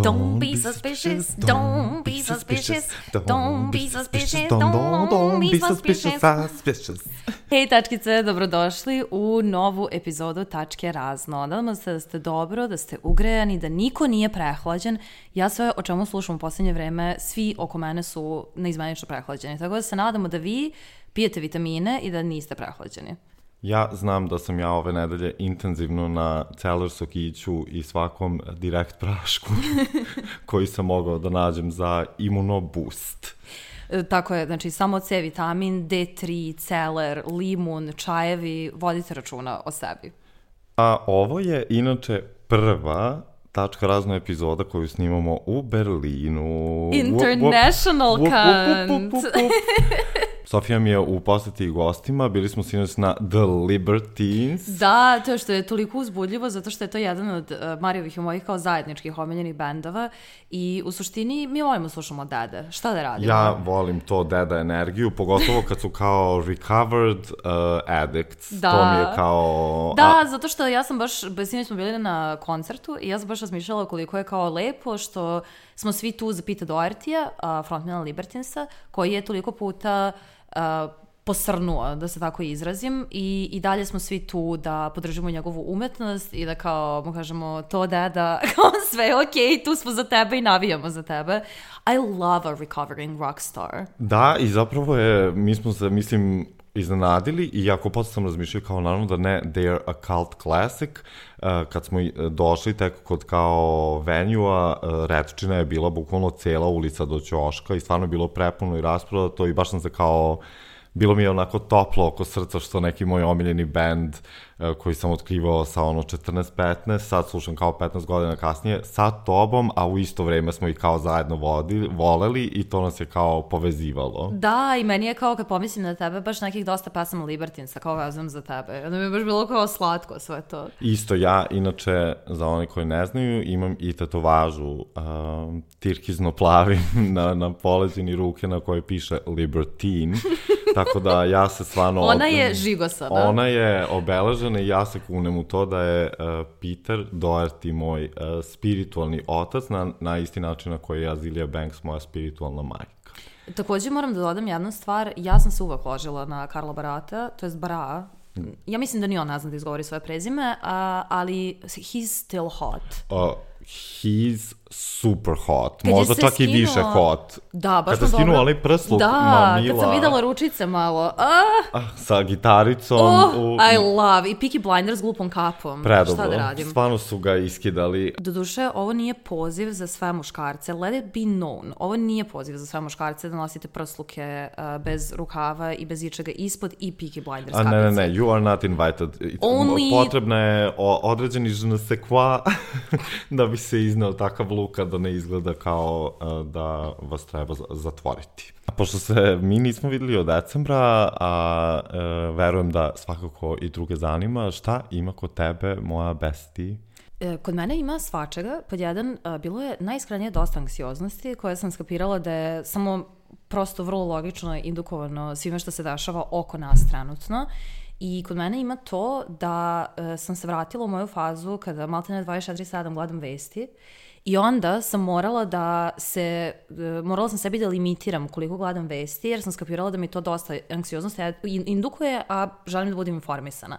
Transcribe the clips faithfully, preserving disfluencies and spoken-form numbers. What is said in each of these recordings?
Don't be suspicious, don't be suspicious, don't be suspicious, don't be suspicious. Hej tačkice, dobrodošli u novu epizodu Tačke razno. Nadamo se da ste dobro, da ste ugrejani, da niko nije prehlađen. Ja sve o čemu slušam u posljednje vreme, svi oko mene su neizmenično prehlađeni. Tako da se nadamo da vi pijete vitamine i da niste prehlađeni. Ja znam da sam ja ove nedelje intenzivno na celer sokiću i svakom direkt prašku koji sam mogao da nađem za imunoboost. E, tako je, znači samo C vitamin, D tri, celer, limun, čajevi, vodite računa o sebi. A ovo je inače prva Tačka razno epizoda koju snimamo u Berlinu. International kant. Sofija mi je u poseti gostima, bili smo sinoć na The Libertines. Da, to što je toliko uzbudljivo, zato što je to jedan od uh, Marijevih i mojih kao zajedničkih omiljenih bendova i u suštini mi volimo slušamo dede. Šta da radimo? Ja volim to deda energiju, pogotovo kad su kao recovered uh, addicts. Da. To mi je kao... Da, a... zato što ja sam baš, sinoć smo bili na koncertu i ja sam baš razmišljala koliko je kao lepo što smo svi tu za Pete Doherty-a, uh, frontmana Libertinesa, koji je toliko puta uh, posrnuo, da se tako izrazim, i, i dalje smo svi tu da podržimo njegovu umetnost i da kao mu kažemo to deda, kao sve je okej, tu smo za tebe i navijamo za tebe. I love a recovering rock star. Da, i zapravo je, mi smo se, mislim, iznenadili i jako posle sam razmišljao kao naravno da ne, they're a cult classic. Uh, kad smo došli tek kod kao venue-a, uh, Retčina je bila bukvalno cela ulica do ćoška i stvarno je bilo prepuno i rasprodato i baš sam se kao, bilo mi je onako toplo oko srca što neki moj omiljeni band uh, koji sam otkrivao sa ono četrnaest petnaest, sad slušam kao petnaest godina kasnije, sa tobom, a u isto vreme smo ih kao zajedno vodili, voleli i to nas je kao povezivalo. Da, i meni je kao kad pomislim na tebe, baš nekih dosta pesama Libertinesa, kao vezujem za tebe. Onda mi je baš bilo kao slatko sve to. Isto ja, inače, za one koji ne znaju, imam i tetovažu uh, tirkizno plavim na, na poleđini ruke na kojoj piše Libertine. Tako da ja se stvarno... Ona je žigosana. Ona je obeležena i ja se kunem u to da je uh, Peter Doherty moj uh, spiritualni otac na, na isti način na koji je Azealia Banks moja spiritualna majka. Također moram da dodam jednu stvar, ja sam se uvek ložila na Karla Barata, to je Bara. Ja mislim da ni on ne zna da izgovori svoje prezime, uh, ali he's still hot. Uh, he's super hot. Kad možda čak skino... i više hot. Da, baš kad sam skinuo onaj prsluk, da, mamila. Kad sam videla ručice malo. Ah! Ah, sa gitaricom. Oh, u... I love. I Peaky Blinders s glupom kapom. Predobro. Šta da radim? Stvarno su ga iskidali. Doduše, ovo nije poziv za sve muškarce. Let it be known. Ovo nije poziv za sve muškarce da nosite prsluke uh, bez rukava i bez ičega ispod i Peaky Blinders kapice. A ne, ne, ne. You are not invited. Only... Potrebna je određeni je ne sais quoi da bi se izneo takav luka da ne izgleda kao uh, da vas treba zatvoriti. A pošto se mi nismo videli od decembra, a uh, verujem da svakako i druge zanima, šta ima kod tebe, moja bestie? E, kod mene ima svačega. Pod jedan, a, bilo je najiskrenije dosta anksioznosti koje sam skapirala da je samo prosto vrlo logično indukovano svime što se dešava oko nas trenutno. I kod mene ima to da e, sam se vratila u moju fazu kada maltene dvadeset četiri sedam gledam vesti i onda sam morala da se, e, morala sam sebi da limitiram koliko gledam vesti jer sam skapirala da mi to dosta anksioznosti indukuje, a želim da budem informisana.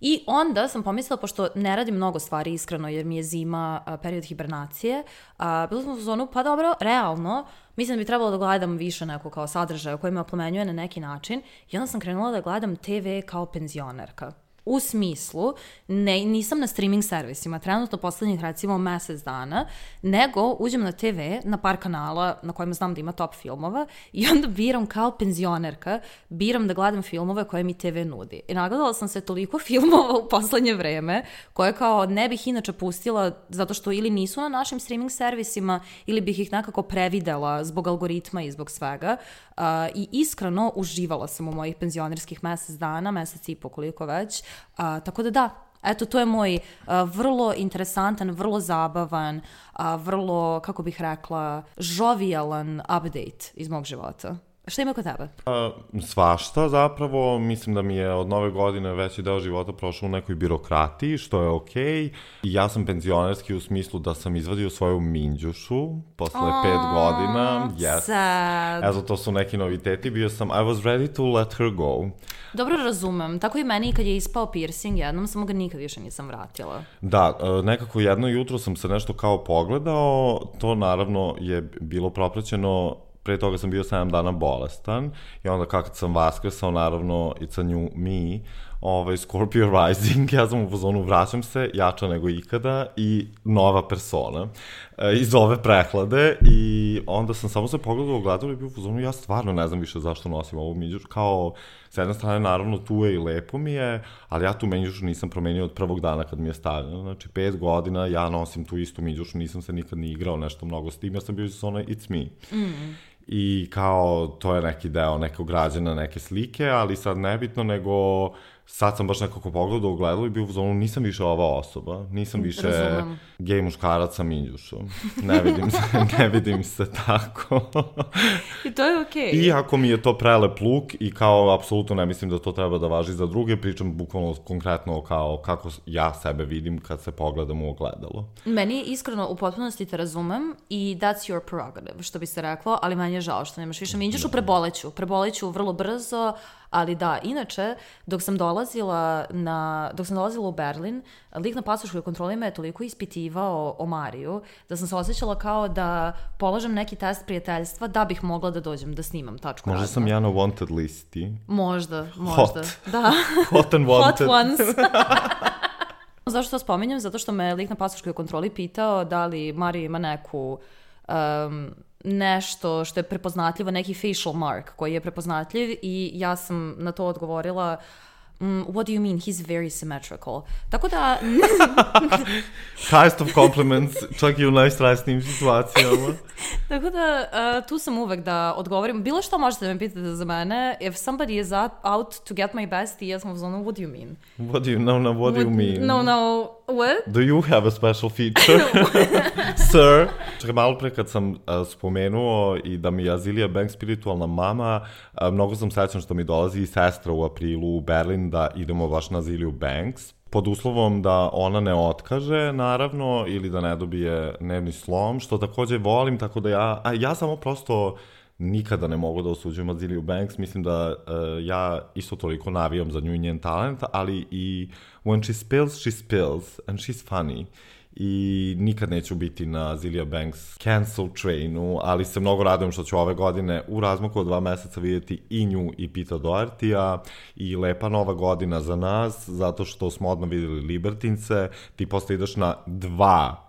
I onda sam pomislila, pošto ne radim mnogo stvari iskreno jer mi je zima, a, period hibernacije, a, bila sam u zonu, pa dobro, realno, mislim da bi trebalo da gledam više neko kao sadržaja koji me oplemenjuje na neki način i onda sam krenula da gledam te ve kao penzionerka. U smislu, ne, nisam na streaming servisima, trenutno poslednjih recimo mesec dana, nego uđem na te ve, na par kanala na kojima znam da ima top filmova i onda biram kao penzionerka, biram da gledam filmove koje mi te ve nudi. I nagledala sam se toliko filmova u poslednje vreme, koje kao ne bih inače pustila zato što ili nisu na našim streaming servisima ili bih ih nekako previdela zbog algoritma i zbog svega. Uh, I iskreno uživala sam u mojih penzionerskih mesec dana, mesec i po koliko već. Uh, tako da da, eto, to je moj uh, vrlo interesantan, vrlo zabavan, uh, vrlo, kako bih rekla, žovijalan update iz mog života. Šta ima kod tebe? A, svašta zapravo, mislim da mi je od nove godine veći deo života prošao u nekoj birokratiji, što je okej. Okay. I ja sam penzionerski u smislu da sam izvadio svoju minđušu posle oh, pet godina. Yes. Sad. Eto, to su neki noviteti. Bio sam, I was ready to let her go. Dobro razumem. Tako i meni kad je ispao piercing jednom, samo ga nikad više nisam vratila. Da, nekako jedno jutro sam se nešto kao pogledao, to naravno je bilo propraćeno. Pre toga sam bio sedam dana bolestan i onda kako sam vaskrsao, naravno, it's a new me, ovaj, Scorpio rising, ja sam u fazonu, vraćam se, jača nego ikada i nova persona e, iz ove prehlade i onda sam samo se pogledao u gledalu i bio u fazonu, ja stvarno ne znam više zašto nosim ovu minđušu, kao, s jedne strane, naravno, tu je i lepo mi je, ali ja tu minđušu nisam promenio od prvog dana kad mi je stavljeno, znači, pet godina ja nosim tu istu minđušu, nisam se nikad ni igrao nešto mnogo s tim, ja sam bio iz ono, it's me. Mm. I kao, to je neki deo nekog građana, neke slike, ali sad nebitno, nego sad sam baš nekako pogledao u gledalu i bio u zonu, nisam više ova osoba, nisam više Razumem. Gej muškarac sa minđušom. Ne vidim se, ne vidim se tako. I to je okej. Okay. Iako mi je to prelep luk i kao, apsolutno ne mislim da to treba da važi za druge, pričam bukvalno konkretno kao kako ja sebe vidim kad se pogledam u ogledalo. Meni iskreno u potpunosti te razumem i that's your prerogative, što bi se reklo, ali manje je žao što nemaš više minđušu, preboleću, preboleću vrlo brzo. Ali da, inače, dok sam dolazila na, dok sam dolazila u Berlin, lik na pasoškoj kontroli me je toliko ispitivao o Mariju, da sam se osjećala kao da polažem neki test prijateljstva da bih mogla da dođem da snimam tačku Možda razno. sam ja na wanted listi. Možda, možda. Hot. Da. Hot and wanted. Hot ones. Zašto to spominjem? Zato što me lik na pasoškoj kontroli pitao da li Marija ima neku... Um, nešto što je prepoznatljivo, neki facial mark koji je prepoznatljiv i ja sam na to odgovorila mm, what do you mean, he's very symmetrical. Tako da... Highest of compliments, čak i u najstresnijim situacijama. Tako da uh, tu sam uvek da odgovorim. Bilo što možete da me pitate za mene. If somebody is out to get my bestie, ja sam u zonu, what do you mean? What do you, no, no, what, what do you mean? No, no, what? Do you have a special feature? Sir? Čekaj, malo pre kad sam uh, spomenuo i da mi je Azealia Banks spiritualna mama, uh, mnogo sam srećan što mi dolazi i sestra u aprilu u Berlin da idemo baš na Azealiu Banks. Pod uslovom da ona ne otkaže, naravno, ili da ne dobije nervni slom, što takođe volim, tako da ja, a ja samo prosto nikada ne mogu da osuđujem Azealiu Banks, mislim da uh, ja isto toliko navijam za nju i njen talent, ali i when she spills, she spills, and she's funny. I nikad neću biti na Azealia Banks cancel trainu, ali se mnogo radujem što ću ove godine u razmaku od dva meseca vidjeti i nju i Pita Doherty-a i lepa nova godina za nas, zato što smo odmah vidjeli Libertince, ti posle ideš na dva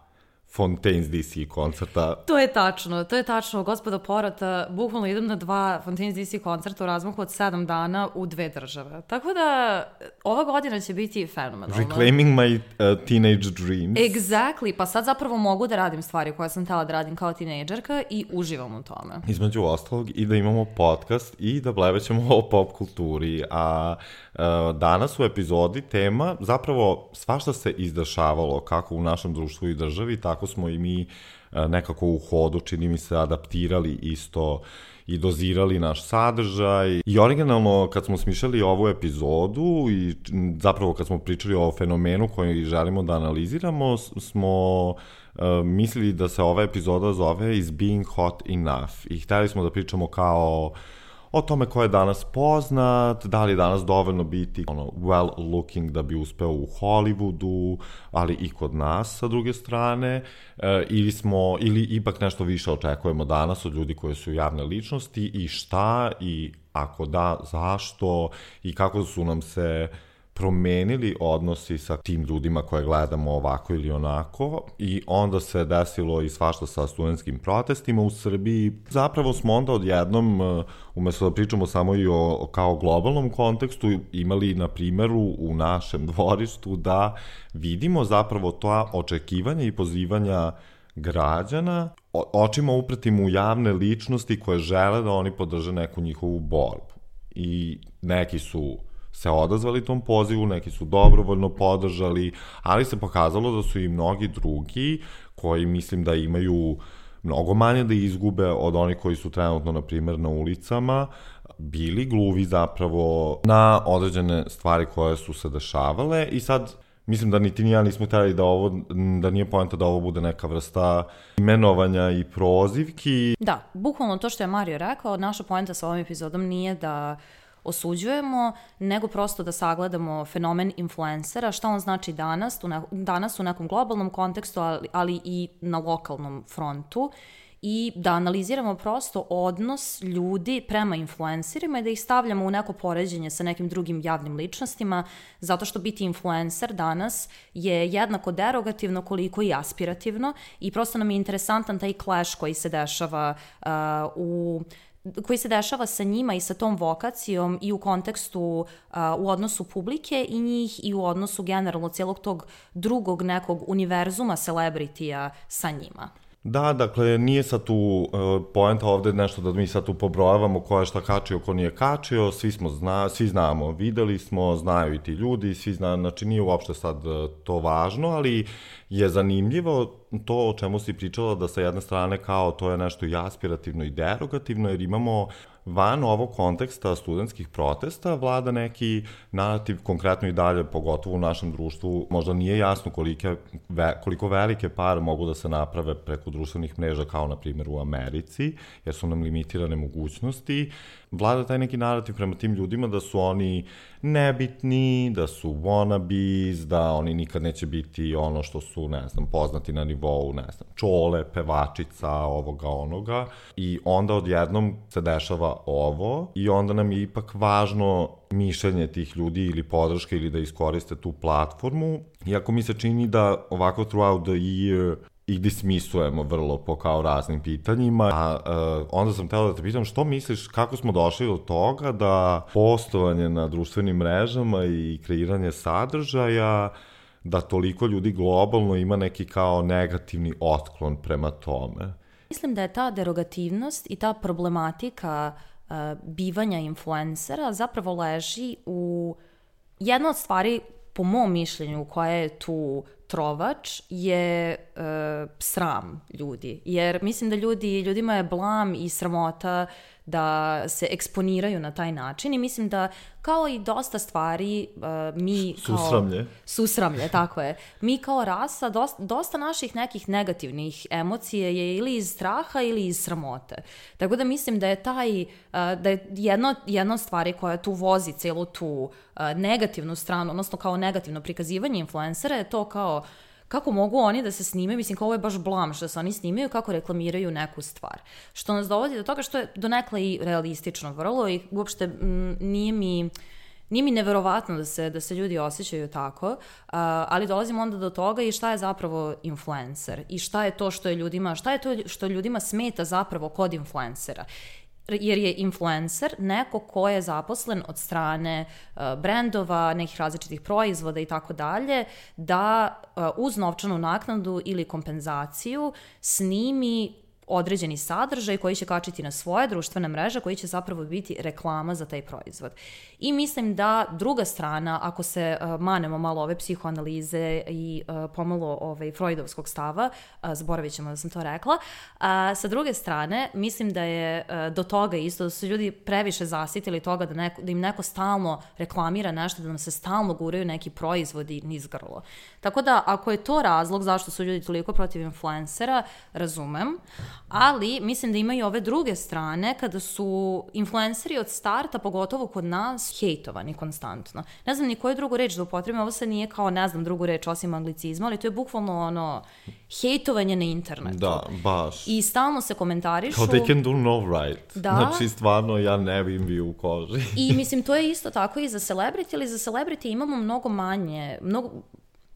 Fontaines D C koncerta. To je tačno, to je tačno, gospodo porota, bukvalno idem na dva Fontaines D C koncerta u razmaku od sedam dana u dve države. Tako da, ova godina će biti fenomenalna. Reclaiming my uh, teenage dreams. Exactly, pa sad zapravo mogu da radim stvari koje sam htjela da radim kao tinejdžerka i uživam u tome. Između ostalog i da imamo podcast i da blevećemo o pop kulturi, a uh, danas u epizodi tema zapravo svašta se izdešavalo kako u našem društvu i državi, tako smo i mi nekako u hodu, čini mi se, adaptirali isto i dozirali naš sadržaj. I originalno, kad smo smišljali ovu epizodu i zapravo kad smo pričali o fenomenu koji želimo da analiziramo, smo uh, mislili da se ova epizoda zove Is Being Hot Enough? I hteli smo da pričamo kao o tome ko je danas poznat, da li je danas dovoljno biti ono, well looking da bi uspeo u Hollywoodu, ali i kod nas sa druge strane, e, ili smo, ili ipak nešto više očekujemo danas od ljudi koji su javne ličnosti i šta, i ako da, zašto, i kako su nam se promenili odnosi sa tim ljudima koje gledamo ovako ili onako, i onda se desilo i svašta sa studentskim protestima u Srbiji. Zapravo smo onda odjednom, umesto da pričamo samo i o kao globalnom kontekstu, imali na primjeru u našem dvorištu da vidimo zapravo to očekivanje i pozivanja građana očima upretim u javne ličnosti koje žele da oni podrže neku njihovu borbu. I neki su se odazvali tom pozivu, neki su dobrovoljno podržali, ali se pokazalo da su i mnogi drugi koji mislim da imaju mnogo manje da izgube od onih koji su trenutno, na primjer, na ulicama, bili gluvi zapravo na određene stvari koje su se dešavale i sad mislim da niti ni ja nismo htjeli da ovo, da nije poenta da ovo bude neka vrsta imenovanja i prozivki. Da, bukvalno to što je Mario rekao, naša poenta sa ovom epizodom nije da osuđujemo, nego prosto da sagledamo fenomen influencera, šta on znači danas, danas u nekom globalnom kontekstu, ali, ali i na lokalnom frontu, i da analiziramo prosto odnos ljudi prema influencerima i da ih stavljamo u neko poređenje sa nekim drugim javnim ličnostima, zato što biti influencer danas je jednako derogativno koliko i aspirativno i prosto nam je interesantan taj clash koji se dešava uh, u koji se dešava sa njima i sa tom vokacijom i u kontekstu, uh, u odnosu publike i njih i u odnosu generalno cijelog tog drugog nekog univerzuma celebritija sa njima. Da, dakle, nije sad tu uh, poenta ovde nešto da mi sad tu pobrojavamo ko je šta kačio, ko nije kačio, svi smo zna, svi znamo, videli smo, znaju i ti ljudi, svi zna, znači nije uopšte sad uh, to važno, ali je zanimljivo to o čemu si pričala da sa jedne strane kao to je nešto i aspirativno i derogativno, jer imamo van ovog konteksta studentskih protesta vlada neki narativ, konkretno i dalje, pogotovo u našem društvu, možda nije jasno kolike, ve, koliko velike pare mogu da se naprave preko društvenih mreža, kao na primjer u Americi, jer su nam limitirane mogućnosti. Vlada taj neki narativ prema tim ljudima da su oni nebitni, da su wannabes, da oni nikad neće biti ono što su, ne znam, poznati na nivou, ne znam, čole, pevačica, ovoga, onoga. I onda odjednom se dešava ovo i onda nam je ipak važno mišljenje tih ljudi ili podrške ili da iskoriste tu platformu. Iako mi se čini da ovako throughout the year ih dismisujemo vrlo po kao raznim pitanjima, a uh, onda sam htjela da te pitam što misliš, kako smo došli do toga da postovanje na društvenim mrežama i kreiranje sadržaja, da toliko ljudi globalno ima neki kao negativni otklon prema tome? Mislim da je ta derogativnost i ta problematika uh, bivanja influencera zapravo leži u jedna od stvari, po mom mišljenju, koja je tu trovač, je uh, sram ljudi. Jer mislim da ljudi, ljudima je blam i sramota da se eksponiraju na taj način i mislim da kao i dosta stvari uh, mi kao... Susramlje. Susramlje, tako je. Mi kao rasa, dosta, dosta naših nekih negativnih emocija je ili iz straha ili iz sramote. Tako da mislim da je taj, uh, da je jedno, jedna od stvari koja tu vozi celu tu uh, negativnu stranu, odnosno kao negativno prikazivanje influencera je to kao kako mogu oni da se snimaju, mislim kao ovo je baš blam što se oni snimaju, kako reklamiraju neku stvar. Što nas dovodi do toga što je donekle i realistično vrlo i uopšte m, nije mi... Nije mi neverovatno da se, da se ljudi osjećaju tako, uh, ali dolazimo onda do toga i šta je zapravo influencer i šta je to što je ljudima, šta je to što ljudima smeta zapravo kod influencera. Jer je influencer neko ko je zaposlen od strane uh, brendova, nekih različitih proizvoda i tako dalje, da uh, uz novčanu naknadu ili kompenzaciju snimi određeni sadržaj koji će kačiti na svoje društvene mreže, koji će zapravo biti reklama za taj proizvod. I mislim da druga strana, ako se uh, manemo malo ove psihoanalize i uh, pomalo ovaj, freudovskog stava, uh, zaboravit ćemo da sam to rekla, uh, sa druge strane, mislim da je uh, do toga isto, da su ljudi previše zasitili toga da, neko, da im neko stalno reklamira nešto, da nam se stalno guraju neki proizvodi niz grlo. Tako da, ako je to razlog zašto su ljudi toliko protiv influencera, razumem, ali mislim da imaju ove druge strane kada su influenceri od starta, pogotovo kod nas, hejtovani konstantno. Ne znam ni koju drugu reč da upotrebim, ovo se nije kao ne znam drugu reč osim anglicizma, ali to je bukvalno ono hejtovanje na internetu. Da, baš. I stalno se komentarišu. Kao they can do no right. Da. Znači stvarno ja ne bim bi u koži. I mislim to je isto tako i za celebrity, ali za celebrity imamo mnogo manje, mnogo...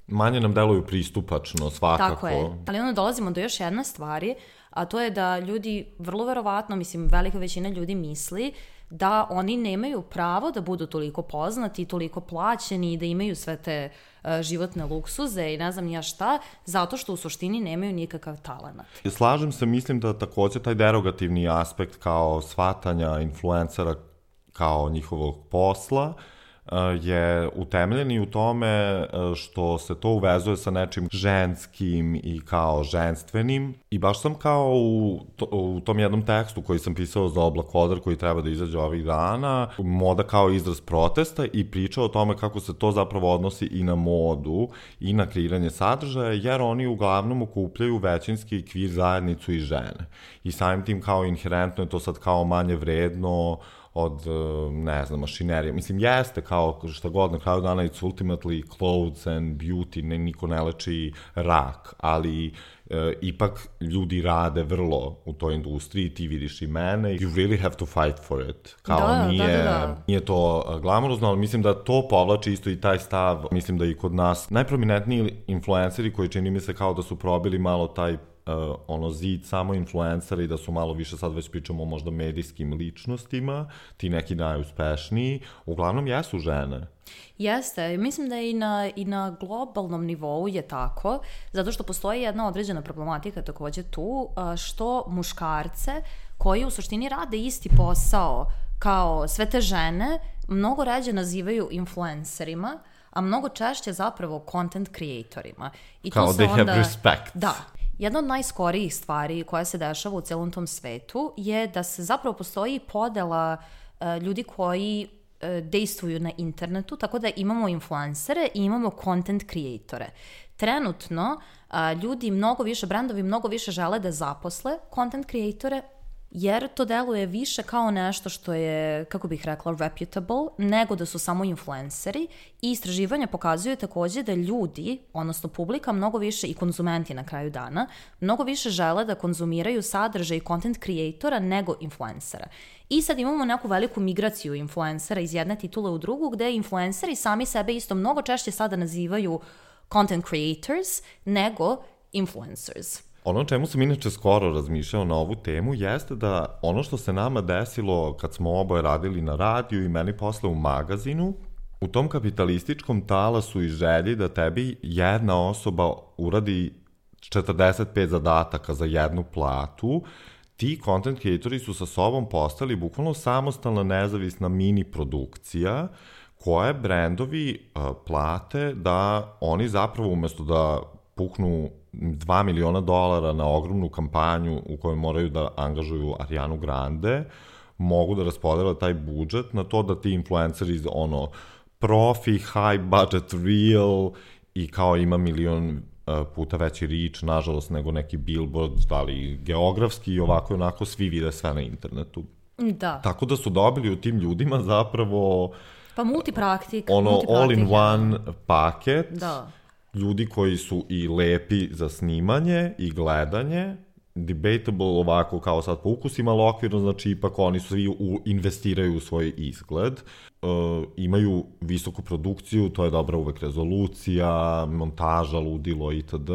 Manje nam deluju pristupačno, svakako. Tako je, ali onda dolazimo do još jedne stvari, a to je da ljudi, vrlo verovatno, mislim, velika većina ljudi misli da oni nemaju pravo da budu toliko poznati i toliko plaćeni i da imaju sve te uh, životne luksuze i ne znam ja šta, zato što u suštini nemaju nikakav talenat. Slažem se, mislim da takođe taj derogativni aspekt kao shvatanja influencera kao njihovog posla je utemeljen i u tome što se to uvezuje sa nečim ženskim i kao ženstvenim. I baš sam kao u, to, u tom jednom tekstu koji sam pisao za Oblak Odar koji treba da izađe ovih dana, moda kao izraz protesta i pričao o tome kako se to zapravo odnosi i na modu i na kreiranje sadržaja, jer oni uglavnom okupljaju većinski kvir zajednicu i žene. I samim tim kao inherentno je to sad kao manje vredno od, ne znam, mašinerije. Mislim, jeste kao šta god, na kraju dana it's ultimately clothes and beauty, ne, niko ne leči rak, ali e, ipak ljudi rade vrlo u toj industriji, ti vidiš i mene, you really have to fight for it. Kao da, nije, da, da, da. Nije to glamurozno, ali mislim da to povlači isto i taj stav, mislim da i kod nas najprominentniji influenceri koji čini mi se kao da su probili malo taj Uh, ono zid samo influencera i da su malo više, sad već pričamo o možda medijskim ličnostima, ti neki najuspešniji, uglavnom jesu žene. Jeste, mislim da i na, i na globalnom nivou je tako, zato što postoji jedna određena problematika takođe tu, što muškarce koji u suštini rade isti posao kao sve te žene, mnogo ređe nazivaju influencerima, a mnogo češće zapravo content creatorima. I kao to se they onda, have respect. Da. Jedna od najskorijih stvari koja se dešava u celom tom svetu je da se zapravo postoji podela uh, ljudi koji uh, dejstvuju na internetu, tako da imamo influencere i imamo content creatore. Trenutno uh, ljudi mnogo više, brendovi mnogo više žele da zaposle content creatore, jer to deluje više kao nešto što je, kako bih rekla, reputable, nego da su samo influenceri i istraživanja pokazuju takođe da ljudi, odnosno publika, mnogo više i konzumenti na kraju dana, mnogo više žele da konzumiraju sadržaj content creatora nego influencera. I sad imamo neku veliku migraciju influencera iz jedne titule u drugu, gde influenceri sami sebe isto mnogo češće sada nazivaju content creators nego influencers. Ono čemu sam inače skoro razmišljao na ovu temu jeste da ono što se nama desilo kad smo oboje radili na radiju i meni posle u magazinu, u tom kapitalističkom talasu i želji da tebi jedna osoba uradi četrdeset pet zadataka za jednu platu, ti content creatori su sa sobom postali bukvalno samostalna nezavisna mini produkcija koje brendovi uh, plate da oni zapravo umesto da puknu dva miliona dolara na ogromnu kampanju u kojoj moraju da angažuju Arianu Grande, mogu da raspodele taj budžet na to da ti influenceri ono profi, high budget, real i kao ima milion puta veći reach, nažalost, nego neki billboard, ali geografski i ovako i onako svi vide sve na internetu. Da. Tako da su dobili u tim ljudima zapravo pa multipraktik, ono multipraktik, all-in-one paket. Da. Ljudi koji su i lepi za snimanje i gledanje, debatable ovako kao sad po ukusima, ali okvirno, znači ipak oni svi u, investiraju u svoj izgled, e, imaju visoku produkciju, to je dobra uvek rezolucija, montaža, ludilo itd.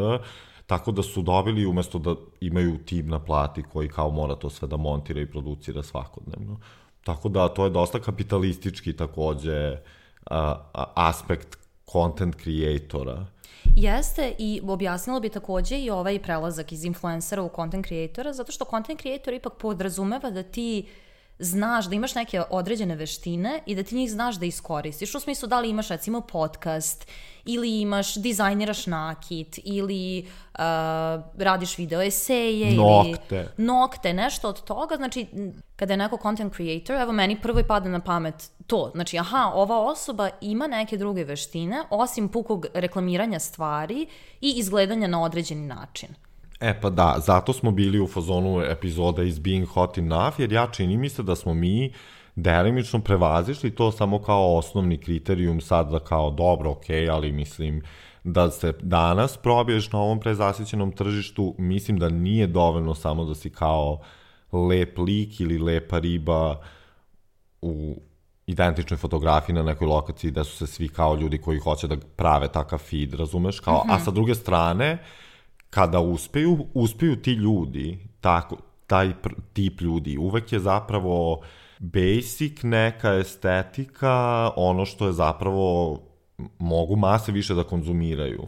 Tako da su dobili, umesto da imaju tim na plati koji kao mora to sve da montira i producira svakodnevno. Tako da to je dosta kapitalistički takođe a, a, aspekt content creatora. Jeste, i objasnila bi takođe i ovaj prelazak iz influencera u content creatora, zato što content creator ipak podrazumeva da ti znaš, da imaš neke određene veštine i da ti njih znaš da iskoristiš. U smislu da li imaš recimo podcast ili imaš, dizajniraš nakit ili uh, radiš video eseje nokte. ili nokte, nešto od toga. Znači, kada je neko content creator, evo meni prvo i pada na pamet to. Znači, aha, ova osoba ima neke druge veštine, osim pukog reklamiranja stvari i izgledanja na određeni način. E pa da, zato smo bili u fazonu epizoda Is Being Hot Enough, jer ja čini mi se da smo mi delimično prevazišli to samo kao osnovni kriterijum sad da kao dobro, okej, okay, ali mislim da se danas probiješ na ovom prezasićenom tržištu, mislim da nije dovoljno samo da si kao lep lik ili lepa riba u identičnoj fotografiji na nekoj lokaciji da su se svi kao ljudi koji hoće da prave takav feed, razumeš? Kao, mm-hmm. A sa druge strane, kada uspeju, uspeju ti ljudi, tako, taj tip ljudi, uvek je zapravo basic neka estetika, ono što je zapravo mogu mase više da konzumiraju.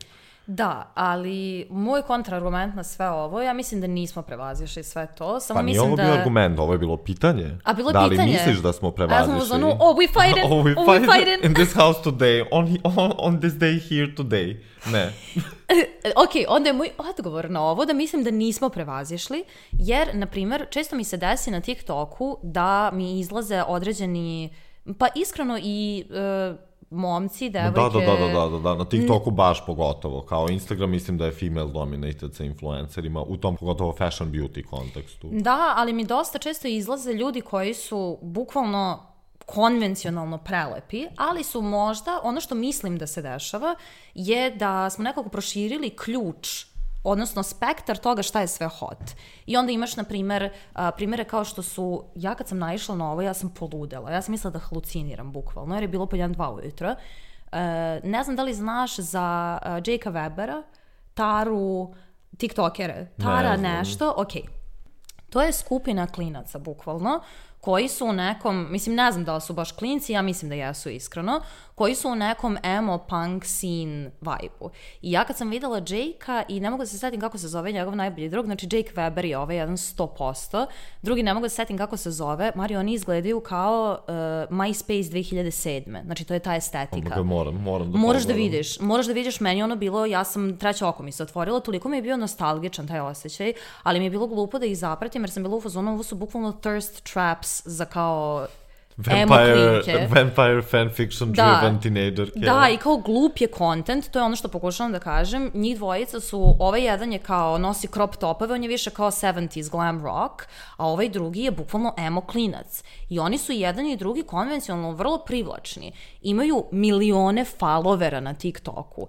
Da, ali moj kontraargument na sve ovo, ja mislim da nismo prevazišli sve to. Samo pa nije mislim ovo da... bio argument, ovo je bilo pitanje. A bilo je da pitanje? Da li misliš da smo prevazišli? A ja sam uzmano, oh, we fighting, oh, we oh, we fighting fighting. in this house today, on, on, on this day here today. Ne. Ok, onda je moj odgovor na ovo da mislim da nismo prevazišli, jer, na primjer, često mi se desi na TikToku da mi izlaze određeni, pa iskreno i... Uh, momci, devojke... Da, da, da, da, da, da, na TikToku baš pogotovo, kao Instagram mislim da je female dominated sa influencerima, u tom pogotovo fashion beauty kontekstu. Da, ali mi dosta često izlaze ljudi koji su bukvalno konvencionalno prelepi, ali su možda, ono što mislim da se dešava, je da smo nekako proširili ključ, odnosno spektar toga šta je sve hot. I onda imaš, na primer, primere kao što su, ja kad sam naišla na ovo, ja sam poludela. Ja sam mislila da haluciniram, bukvalno, jer je bilo po jedan, dva ujutro. Ne znam da li znaš za Jakea Webera, Taru, tiktokere, Tara ne nešto, ok. To je skupina klinaca, bukvalno, koji su u nekom, mislim, ne znam da li su baš klinci, ja mislim da jesu iskreno, koji su u nekom emo punk scene vibe-u. I ja kad sam videla Jakea, i ne mogu da se setim kako se zove njegov najbolji drug, znači Jake Weber je ovaj jedan sto posto, drugi ne mogu da se setim kako se zove, Mario, oni izgledaju kao uh, MySpace dve hiljade sedme. Znači, to je ta estetika. Oh, moram, moram da moraš da vidiš, moraš da vidiš, meni ono bilo, ja sam treće oko mi se otvorilo, toliko mi je bio nostalgičan taj osjećaj, ali mi je bilo glupo da ih zapratim, jer sam bila u fazonu, ovo su bukvalno thirst traps za kao Vampire, vampire fanfiction da, driven teenager. Da, i kao glup je content, to je ono što pokušavam da kažem. Njih dvojica su, ovaj jedan je kao nosi crop topove, on je više kao sedamdeset glam rock, a ovaj drugi je bukvalno emo klinac. I oni su jedan i drugi konvencionalno vrlo privlačni. Imaju milione followera na TikToku.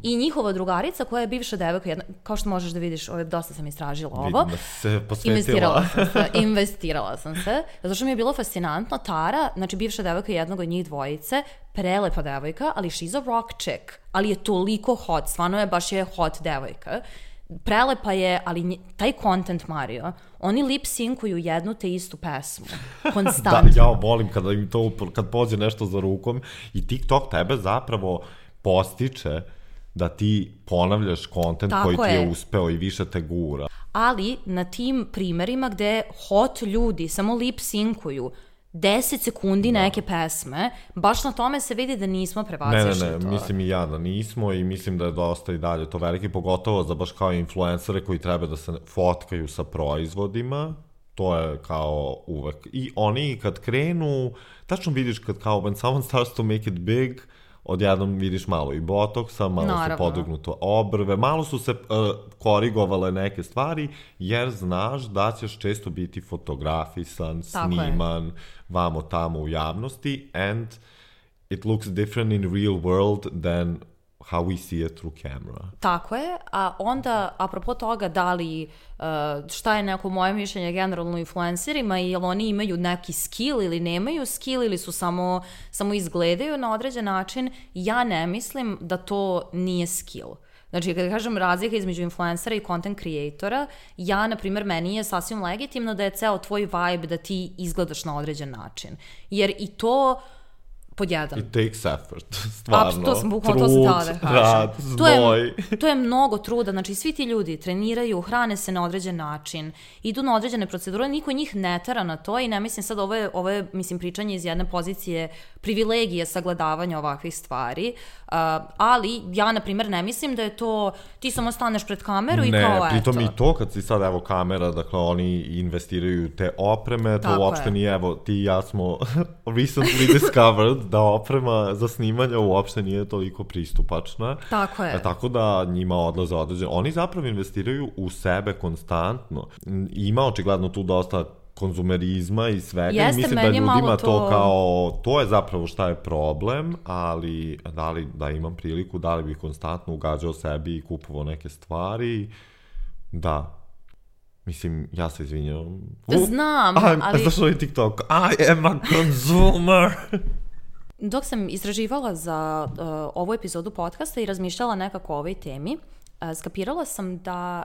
I njihova drugarica koja je bivša devojka, jedna, kao što možeš da vidiš, ovaj, dosta sam istražila ovo. Vidim da se posvetila. Investirala sam se, investirala sam se. Zato što mi je bilo fascinantno, Tara, znači bivša devojka jednog od njih dvojice, prelepa devojka, ali she's a rock chick, ali je toliko hot, stvarno je, baš je hot devojka. Prelepa je, ali nj, taj content, Mario, oni lip-synkuju jednu te istu pesmu, konstantno. Da, ja volim kada im to, kad pođe nešto za rukom i TikTok tebe zapravo postiče da ti ponavljaš content tako koji ti je, je uspeo i više te gura. Ali na tim primerima gde hot ljudi samo lip-synkuju deset sekundi da. Neke pesme, baš na tome se vidi da nismo prevazišli to. Ne, ne, ne, mislim i ja da nismo i mislim da je dosta i dalje to veliki, pogotovo za baš kao influencere koji treba da se fotkaju sa proizvodima, to je kao uvek. I oni kad krenu, tačno vidiš kad kao when someone starts to make it big, odjednom vidiš malo i botoksa, malo Naravno. Su podignuto obrve, malo su se uh, korigovale neke stvari, jer znaš da ćeš često biti fotografisan, Tako sniman, je. Vamo tamo u javnosti, and it looks different in real world than how we see it through camera. Tako je, a onda, apropo toga, da li, uh, šta je neko moje mišljenje generalno influencerima, i jel oni imaju neki skill ili nemaju skill ili su samo, samo izgledaju na određen način, ja ne mislim da to nije skill. Znači, kada kažem razlika između influencera i content creatora, ja, na primjer, meni je sasvim legitimno da je ceo tvoj vibe da ti izgledaš na određen način. Jer i to... pod jedan. It takes effort, stvarno. Apsolutno, to sam bukvalno, to sam htjela da kažem. Rad, znoj. To je, to je mnogo truda, znači svi ti ljudi treniraju, hrane se na određen način, idu na određene procedure, niko njih ne tera na to i ne mislim sad, ovo je, ovo je mislim, pričanje iz jedne pozicije privilegije sagledavanja ovakvih stvari, uh, ali ja, na primjer, ne mislim da je to, ti samo staneš pred kameru ne, i kao eto. Ne, pritom i to kad si sad, evo, kamera, dakle, oni investiraju te opreme, to Tako uopšte je. Nije, evo, ti i ja smo recently discovered da oprema za snimanje uopšte nije toliko pristupačna. Tako je. E, tako da njima odlaze određene. Oni zapravo investiraju u sebe konstantno. Ima očigledno tu dosta konzumerizma i svega. Jeste, i mislim da ljudima to... to kao, to je zapravo šta je problem, ali da li da imam priliku, da li bih konstantno ugađao sebi i kupovao neke stvari, da. Mislim, ja se izvinjam. Znam, I'm, ali... Zašto je TikTok? I am a consumer. Dok sam istraživala za uh, ovu epizodu podcasta i razmišljala nekako o ovoj temi, uh, skapirala sam da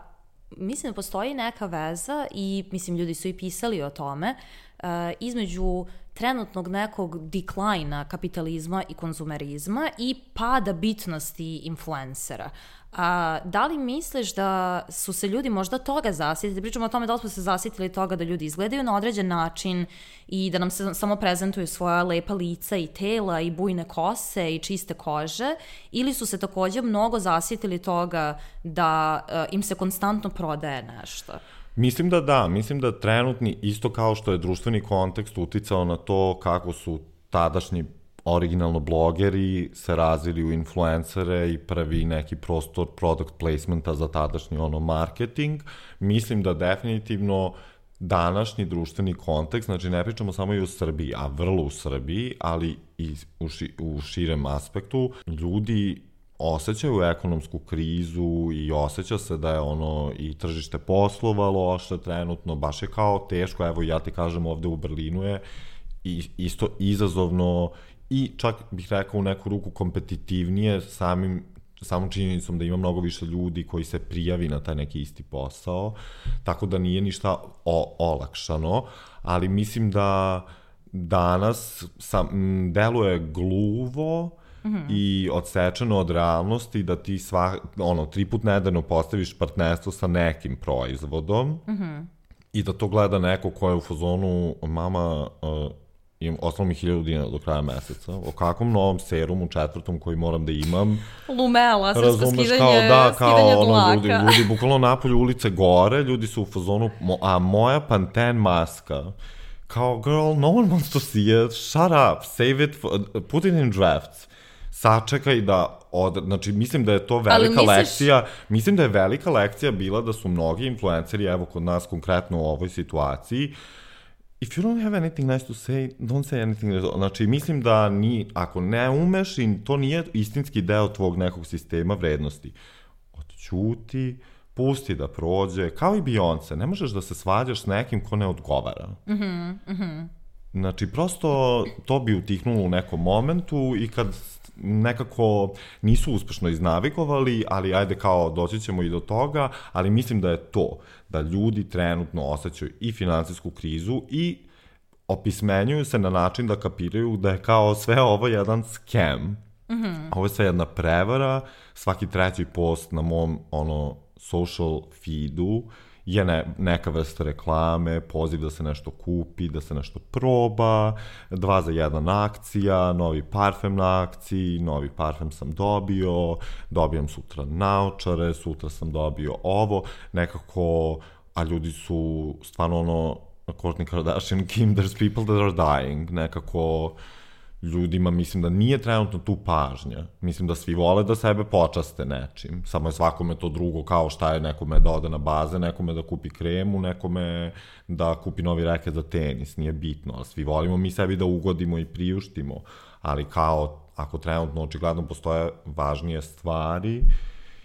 mislim da postoji neka veza i mislim ljudi su i pisali o tome uh, između trenutnog nekog deklajna kapitalizma i konzumerizma i pada bitnosti influencera. A, da li misliš da su se ljudi možda toga zasjetili, pričamo o tome da li smo se zasjetili toga da ljudi izgledaju na određen način i da nam se samo prezentuju svoja lepa lica i tela i bujne kose i čiste kože, ili su se takođe mnogo zasjetili toga da uh, im se konstantno prodaje nešto? Mislim da da, mislim da trenutni, isto kao što je društveni kontekst uticao na to kako su tadašnji originalno blogeri se razvili u influencere i prvi neki prostor product placementa za tadašnji ono marketing, mislim da definitivno današnji društveni kontekst, znači ne pričamo samo i u Srbiji, a vrlo u Srbiji, ali i u, ši, u širem aspektu, ljudi osjećaju ekonomsku krizu i osjeća se da je ono i tržište poslova loše trenutno, baš je kao teško, evo ja ti kažem ovde u Berlinu je i, isto izazovno i čak bih rekao u neku ruku kompetitivnije samim, samom činjenicom da ima mnogo više ljudi koji se prijavi na taj neki isti posao, tako da nije ništa o, olakšano, ali mislim da danas sam, m, deluje gluvo mm-hmm. i odsečeno od realnosti da ti sva, ono, tri put nedeljno postaviš partnerstvo sa nekim proizvodom mm-hmm. i da to gleda neko ko je u fazonu mama... Uh, imam, ostalo mi hiljadu dinara do kraja meseca, o kakvom novom serumu četvrtom koji moram da imam. Lumela, sve skidanje, kao, da, kao, skidanje ono, dlaka. ljudi, ljudi, bukvalno napolju ulice gore, ljudi su u fazonu, a moja Pantene maska, kao, girl, no one wants to see it, shut up, save it, for, put it in drafts. Sačekaj da, od, znači mislim da je to velika misliš... lekcija, mislim da je velika lekcija bila da su mnogi influenceri, evo kod nas konkretno u ovoj situaciji, if you don't have anything nice to say, don't say anything. Znači, mislim da ni, ako ne umeš i to nije istinski deo tvog nekog sistema vrednosti, odćuti, pusti da prođe, kao i Beyoncé, ne možeš da se svađaš s nekim ko ne odgovara. Mhm, mhm. Znači, prosto to bi utihnulo u nekom momentu i kad nekako nisu uspešno iznavigovali, ali ajde kao doći ćemo i do toga, ali mislim da je to, da ljudi trenutno osjećaju i finansijsku krizu i opismenjuju se na način da kapiraju da je kao sve ovo jedan scam. Mm-hmm. Ovo je sve jedna prevara, svaki treći post na mom ono social feedu je ne, neka vrsta reklame, poziv da se nešto kupi, da se nešto proba, dva za jedan akcija, novi parfem na akciji, novi parfem sam dobio, dobijam sutra naočare, sutra sam dobio ovo, nekako, a ljudi su stvarno ono, Kourtney Kardashian, Kim, there's people that are dying, nekako ljudima mislim da nije trenutno tu pažnja. Mislim da svi vole da sebe počaste nečim. Samo je svakome to drugo, kao šta je nekome da ode na baze, nekome da kupi kremu, nekome da kupi novi reket za tenis. Nije bitno, ali svi volimo mi sebi da ugodimo i priuštimo. Ali kao, ako trenutno očigledno postoje važnije stvari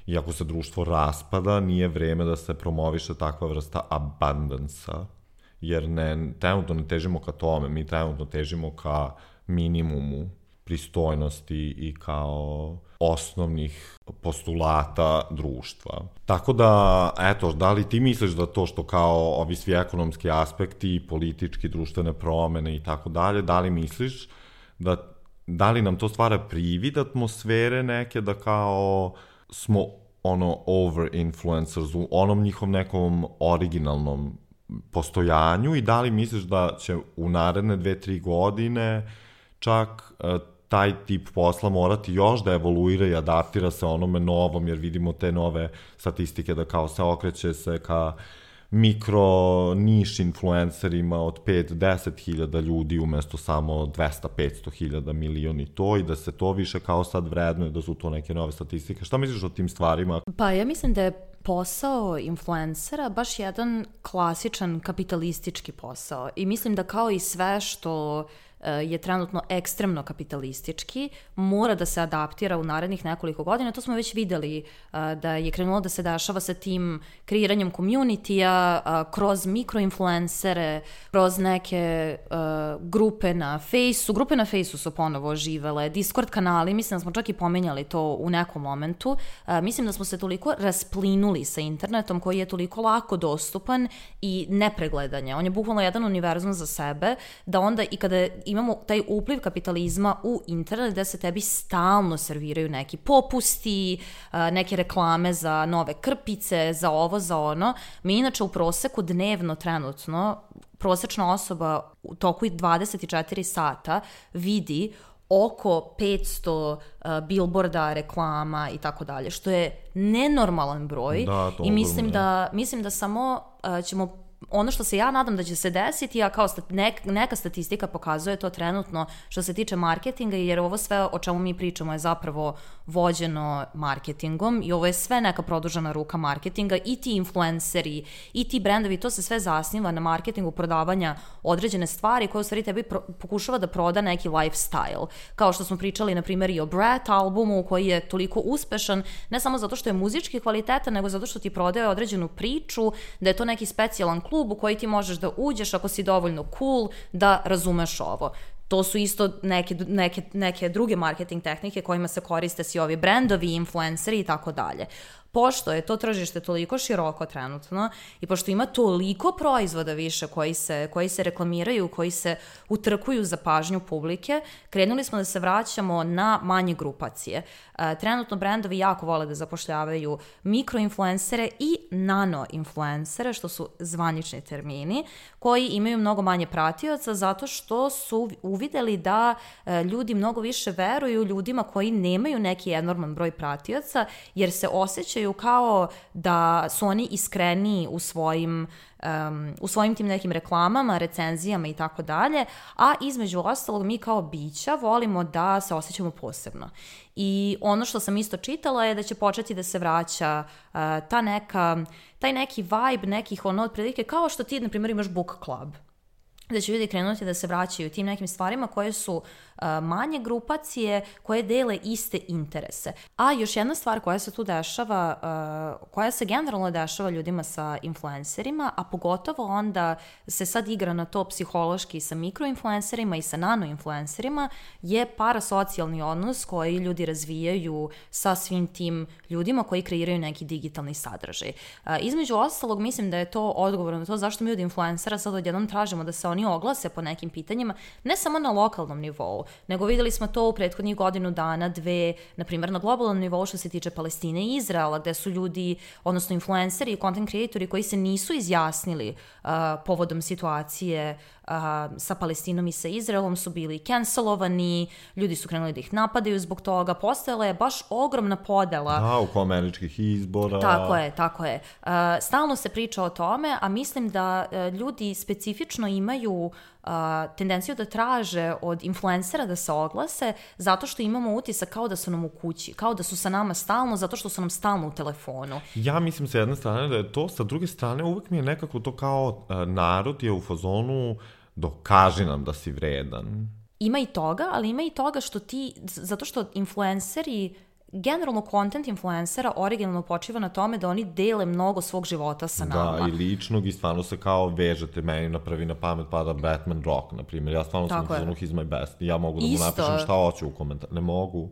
i ako se društvo raspada, nije vreme da se promoviše takva vrsta abundance-a. Jer ne, trenutno ne težimo ka tome, mi trenutno težimo ka minimumu pristojnosti i kao osnovnih postulata društva. Tako da, eto, da li ti misliš da to što kao ovi svi ekonomski aspekti, politički, društvene promene i tako dalje, da li misliš da, da li nam to stvara privid atmosfere neke da kao smo ono over-influencers u onom njihov nekom originalnom postojanju i da li misliš da će u naredne dve, tri godine čak uh, taj tip posla morati još da evoluira i adaptira se onome novom, jer vidimo te nove statistike da kao se okreće se ka mikro niš influencerima od pet do deset hiljada ljudi umesto samo dvesta do petsto hiljada milioni to i da se to više kao sad vrednuje, da su to neke nove statistike. Šta misliš o tim stvarima? Pa ja mislim da je posao influencera baš jedan klasičan kapitalistički posao i mislim da kao i sve što je trenutno ekstremno kapitalistički, mora da se adaptira u narednih nekoliko godina. To smo već videli da je krenulo da se dešava sa tim kreiranjem community-a, kroz mikroinfluencere, kroz neke grupe na Fejsu. Grupe na Fejsu su ponovo oživele, Discord kanali, mislim da smo čak i pomenjali to u nekom momentu. Mislim da smo se toliko rasplinuli sa internetom koji je toliko lako dostupan i nepregledan je. On je bukvalno jedan univerzum za sebe, da onda i kada imamo taj upliv kapitalizma u internet gde se tebi stalno serviraju neki popusti, neke reklame za nove krpice, za ovo, za ono. Mi inače u proseku dnevno trenutno prosečna osoba u toku dvadeset četiri sata vidi oko petsto uh, billboarda, reklama i tako dalje, što je nenormalan broj. Da, to i mislim ogromno, da, mislim da samo uh, ćemo ono što se ja nadam da će se desiti, a kao stat, nek, neka statistika pokazuje to trenutno što se tiče marketinga, jer ovo sve o čemu mi pričamo je zapravo vođeno marketingom i ovo je sve neka produžena ruka marketinga i ti influenceri i ti brendovi, to se sve zasniva na marketingu prodavanja određene stvari koje u stvari tebi pro, pokušava da proda neki lifestyle. Kao što smo pričali na primjer i o Brat albumu koji je toliko uspešan, ne samo zato što je muzički kvalitetan, nego zato što ti prodaje određenu priču, da je to neki specijalan klub u koji ti možeš da uđeš ako si dovoljno cool da razumeš ovo. To su isto neke, neke, neke druge marketing tehnike kojima se koriste svi ovi brendovi, influenceri i tako dalje. Pošto je to tržište toliko široko trenutno i pošto ima toliko proizvoda više koji se, koji se reklamiraju, koji se utrkuju za pažnju publike, krenuli smo da se vraćamo na manje grupacije. E, trenutno brendovi jako vole da zapošljavaju mikroinfluencere i nanoinfluencere, što su zvanični termini, koji imaju mnogo manje pratioca zato što su uvideli da e, ljudi mnogo više veruju ljudima koji nemaju neki enorman broj pratioca, jer se osjećaju kao da su oni iskreniji u svojim um, u svojim tim nekim reklamama, recenzijama i tako dalje, a između ostalog mi kao bića volimo da se osjećamo posebno. I ono što sam isto čitala je da će početi da se vraća uh, ta neka, taj neki vibe nekih ono otprilike kao što ti na primjer imaš book club, da će ljudi krenuti da se vraćaju tim nekim stvarima koje su uh, manje grupacije, koje dele iste interese. A još jedna stvar koja se tu dešava, uh, koja se generalno dešava ljudima sa influencerima, a pogotovo onda se sad igra na to psihološki sa mikroinfluencerima i sa nanoinfluencerima, je parasocijalni odnos koji ljudi razvijaju sa svim tim ljudima koji kreiraju neki digitalni sadržaj. Uh, između ostalog, mislim da je to odgovor na to zašto mi od influencera sad odjednom tražimo da se oni oglase po nekim pitanjima, ne samo na lokalnom nivou, nego videli smo to u prethodnih godinu dana, dve, na primjer na globalnom nivou što se tiče Palestine i Izraela, gde su ljudi, odnosno influenceri i content creatori koji se nisu izjasnili uh, povodom situacije uh, sa Palestinom i sa Izraelom su bili cancelovani, ljudi su krenuli da ih napadaju zbog toga, postojala je baš ogromna podela. Da, oko američkih izbora. Tako je, tako je. Uh, stalno se priča o tome, a mislim da uh, ljudi specifično imaju uh, tendenciju da traže od influencera da se oglase zato što imamo utisak kao da su nam u kući, kao da su sa nama stalno, zato što su nam stalno u telefonu. Ja mislim sa jedne strane da je to, sa druge strane uvek mi je nekako to kao uh, narod je u fazonu dokaži nam da si vredan. Ima i toga, ali ima i toga što ti, zato što influenceri, generalno content influencera originalno počiva na tome da oni dele mnogo svog života sa nama. Da, i ličnog i stvarno se kao vežete, meni na prvi na pamet pada Batman Rock, na primjer. Ja stvarno sam u fazonu he's my best. Ja mogu da mu Isto. napišem šta hoću u komentar. Ne mogu.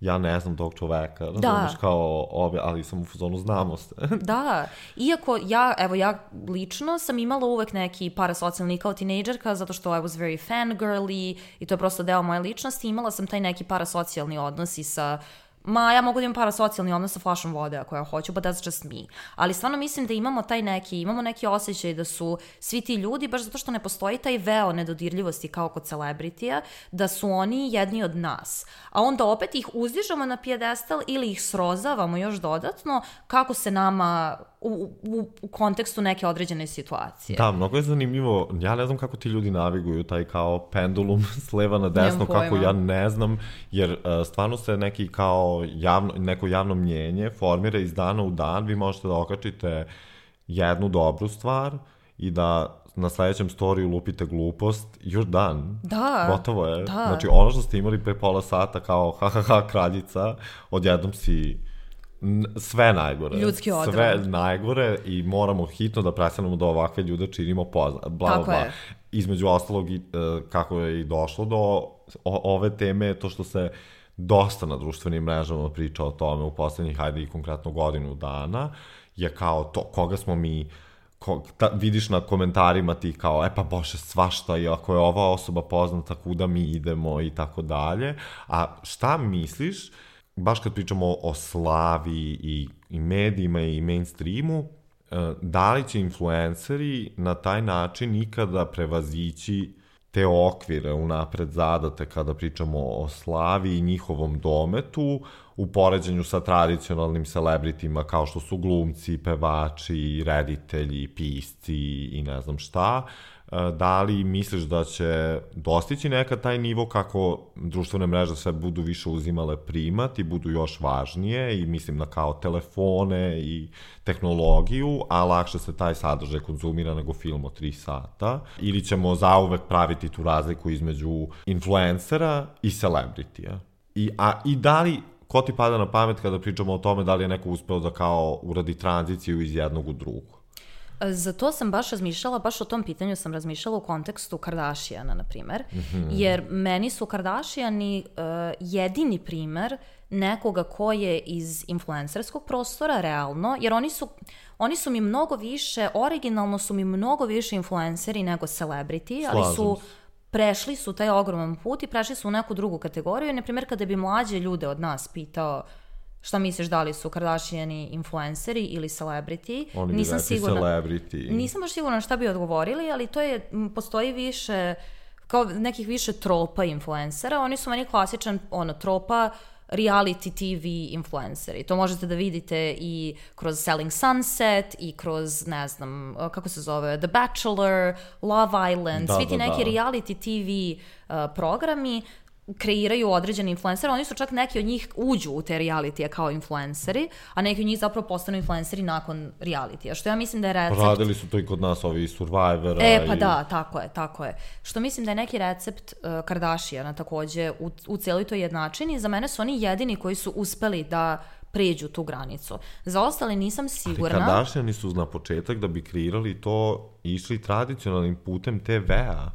Ja ne znam tog čoveka, razumiješ, kao ove, ali sam u fazonu znamo se. Da, iako ja, evo ja lično sam imala uvek neki parasocijalni kao tinejdžerka, zato što I was very fangirly i to je prosto deo moje ličnosti, imala sam taj neki parasocijalni odnos i sa Ma, ja mogu da imam parasocijalni odnos sa flašom vode ako ja hoću, but that's just me. Ali stvarno mislim da imamo taj neki, imamo neki osjećaj da su svi ti ljudi, baš zato što ne postoji taj veo nedodirljivosti kao kod celebritija, da su oni jedni od nas. A onda opet ih uzdižemo na pijedestal ili ih srozavamo još dodatno kako se nama u, u, u kontekstu neke određene situacije. Da, mnogo je zanimljivo. Ja ne znam kako ti ljudi naviguju taj kao pendulum s leva na desno, kako ja ne znam, jer uh, stvarno se neki kao javno, neko javno mnjenje formira iz dana u dan. Vi možete da okačite jednu dobru stvar i da na sledećem storiju lupite glupost, you're done. Da. Gotovo je. Da. Znači, ono što ste imali pre pola sata kao ha ha ha kraljica, odjednom si sve najgore. Ljudski odran. Sve najgore i moramo hitno da prestanemo da ovakve ljude činimo poznat. Bla, Tako bla. je. Između ostalog, uh, kako je i došlo do o, ove teme, to što se dosta na društvenim mrežama priča o tome u poslednjih, hajde i konkretno godinu dana, je kao to, koga smo mi ko, ta, vidiš na komentarima ti kao, e pa bože, svašta, i ako je ova osoba poznata, kuda mi idemo i tako dalje. A šta misliš, baš kad pričamo o slavi i, i medijima i mainstreamu, da li će influenceri na taj način nikada prevazići te okvire unapred zadate kada pričamo o slavi i njihovom dometu u poređenju sa tradicionalnim celebritima kao što su glumci, pevači, reditelji, pisci i ne znam šta. Da li misliš da će dostići nekad taj nivo kako društvene mreže sve budu više uzimale primat i budu još važnije, i mislim na kao telefone i tehnologiju, a lakše se taj sadržaj konzumira nego film od tri sata, ili ćemo zauvek praviti tu razliku između influencera i celebritija? I, a, i da li, ko ti pada na pamet kada pričamo o tome da li je neko uspeo da kao uradi tranziciju iz jednog u drugo? Za to sam baš razmišljala, baš o tom pitanju sam razmišljala u kontekstu Kardashiana, na primer, mm-hmm. jer meni su Kardashiani uh, jedini primer nekoga ko je iz influencerskog prostora, realno, jer oni su, oni su mi mnogo više, originalno su mi mnogo više influenceri nego celebrity, ali Slažem su... se. Prešli su taj ogroman put i prešli su u neku drugu kategoriju. Na primjer, kada bi mlađe ljude od nas pitao šta misliš, da li su Kardashiani influenceri ili celebrity, oni nisam bi rekli sigurna, celebrity. Nisam baš sigurna šta bi odgovorili, ali to je, postoji više, kao nekih više tropa influencera. Oni su meni klasičan, ono, tropa reality T V influenceri. To možete da vidite i kroz Selling Sunset i kroz, ne znam, kako se zove, The Bachelor, Love Island, da, svi ti da, neki da. reality T V uh, programi kreiraju određene influencere, oni su čak neki od njih uđu u te realitije kao influenceri, a neki od njih zapravo postanu influenceri nakon realitija, što ja mislim da je recept... Radili su to i kod nas, ovi Survivora. E, pa i... da, tako je, tako je. Što mislim da je neki recept uh, Kardashiana takođe u, u cijeloj toj jednačini. Za mene su oni jedini koji su uspeli da pređu tu granicu. Za ostale nisam sigurna... Ali Kardashiani su na početak da bi kreirali to išli tradicionalnim putem te vea.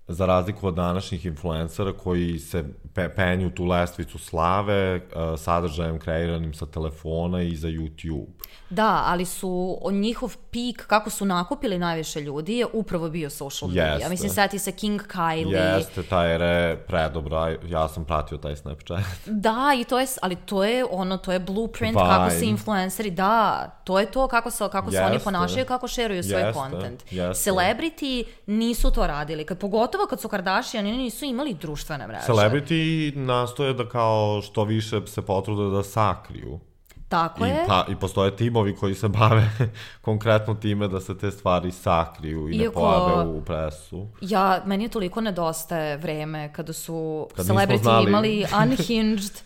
Za razliku od današnjih influencera koji se pe penju tu lestvicu slave uh, sadržajem kreiranim sa telefona i za YouTube. Da, ali su njihov pik, kako su nakupili najviše ljudi, je upravo bio social media. Jeste. Mislim, seti se King Kylie. Jeste, ta era je predobra, ja sam pratio taj Snapchat. Da, i to je, ali to je ono, to je blueprint Vine. kako se influenceri, da, to je to kako se, kako se Jeste. oni ponašaju, kako šeruju svoj Jeste. content. Jeste. Celebrity nisu to radili, kad, pogotovo kad su Kardashian, oni nisu imali društvene mreže. Celebrity nastoje da kao što više se potrude da sakriju. Tako I, je. pa, I postoje timovi koji se bave konkretno time da se te stvari sakriju i Iako, ne pojave u presu. Ja, meni je toliko nedostaje vreme kada su Kad celebrity znali. imali unhinged,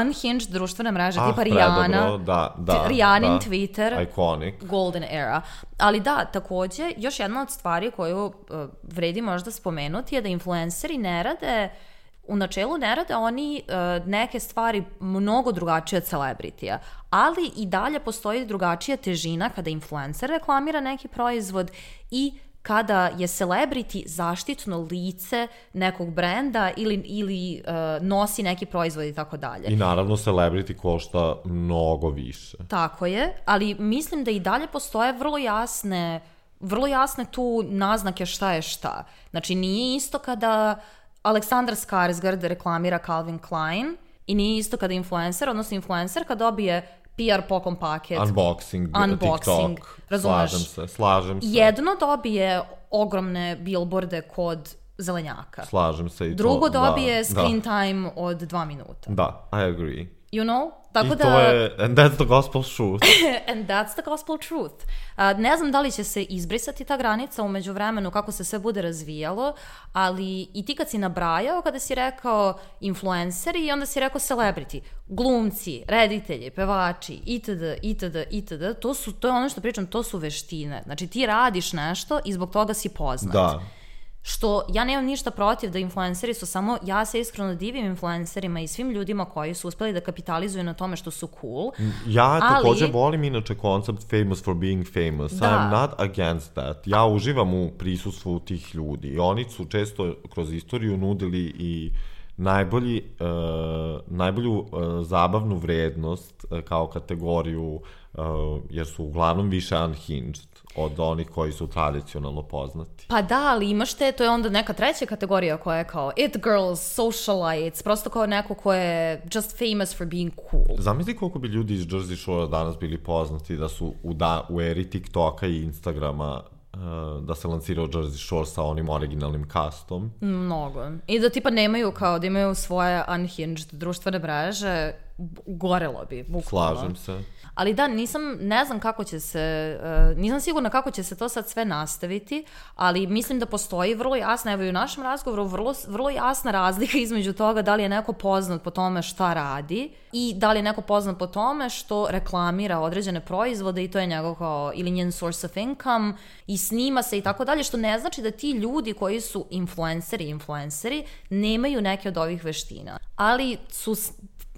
unhinged društvene mreže, Ah, tipa Rihanna, predobro, da, da, Rihannin da. Twitter, Iconic. Golden era. Ali da, takođe, još jedna od stvari koju uh, vredi možda spomenuti je da influenceri ne rade, u načelu ne rade oni uh, neke stvari mnogo drugačije od celebritija, ali i dalje postoji drugačija težina kada influencer reklamira neki proizvod i kada je celebrity zaštitno lice nekog brenda ili, ili uh, nosi neki proizvod i tako dalje. I naravno celebrity košta mnogo više. Tako je, ali mislim da i dalje postoje vrlo jasne, vrlo jasne tu naznake šta je šta. Znači nije isto kada Aleksandar Skarsgård reklamira Calvin Klein i nije isto kada influencer, odnosno influencer kad dobije P R poklon paket, Unboxing, unboxing TikTok, razumeš? slažem se, slažem se. Jedno dobije ogromne billboarde kod zelenjaka. Slažem se i Drugo to. dobije da, screen da. time od dva minuta. Da, I agree. You know? Tako I da... to je, and that's the gospel truth. And that's the gospel truth. Uh, ne znam da li će se izbrisati ta granica umeđu vremenu kako se sve bude razvijalo, ali i ti kad si nabrajao, kada si rekao influenceri i onda si rekao celebrity, glumci, reditelji, pevači, itd., itd., itd., to, su, to je ono što pričam, to su veštine. Znači ti radiš nešto i zbog toga si poznat. Da. Što ja nemam ništa protiv da influenceri su samo, ja se iskreno divim influencerima i svim ljudima koji su uspeli da kapitalizuju na tome što su cool. Ja ali... takođe volim inače koncept famous for being famous. Da. I'm not against that. Ja uživam u prisustvu tih ljudi. I oni su često kroz istoriju nudili i najbolji, uh, najbolju uh, zabavnu vrednost uh, kao kategoriju, uh, jer su uglavnom više unhinged od onih koji su tradicionalno poznati. Pa da, ali imaš te, to je onda neka treća kategorija koja je kao it girls, socialites, prosto kao neko ko je just famous for being cool. Zamisli koliko bi ljudi iz Jersey Shore danas bili poznati da su u, da, u eri TikToka i Instagrama uh, da se lansirao Jersey Shore sa onim originalnim castom. Mnogo. I da tipa nemaju kao, da imaju svoje unhinged društvene mreže, gorelo bi, bukvalno. Slažem se. Ali da, nisam, ne znam kako će se, uh, nisam sigurna kako će se to sad sve nastaviti, ali mislim da postoji vrlo jasna, evo i u našem razgovoru, vrlo, vrlo jasna razlika između toga da li je neko poznat po tome šta radi i da li je neko poznat po tome što reklamira određene proizvode i to je njegov kao, ili njen source of income i snima se i tako dalje, što ne znači da ti ljudi koji su influenceri, influenceri, nemaju neke od ovih veština. Ali su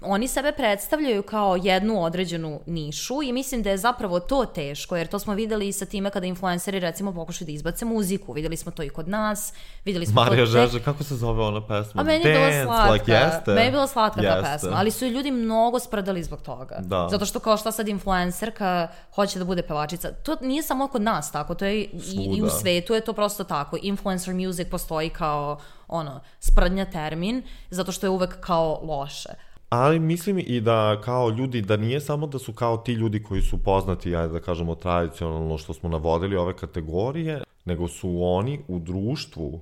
oni sebe predstavljaju kao jednu određenu nišu i mislim da je zapravo to teško, jer to smo videli i sa time kada influenceri recimo pokušaju da izbace muziku. Videli smo to i kod nas. Videli smo Marija to Žeže, kako se zove ona pesma? A meni je bila slatka. Like, jeste. Meni je bila slatka jeste. ta pesma, ali su i ljudi mnogo sprdali zbog toga. Da. Zato što kao šta sad influencerka hoće da bude pevačica. To nije samo kod nas tako, to je i, i u svetu je to prosto tako. Influencer music postoji kao ono, sprdnja termin, zato što je uvek kao loše. Ali mislim i da kao ljudi, da nije samo da su kao ti ljudi koji su poznati, ajde da kažemo tradicionalno što smo navodili ove kategorije, nego su oni u društvu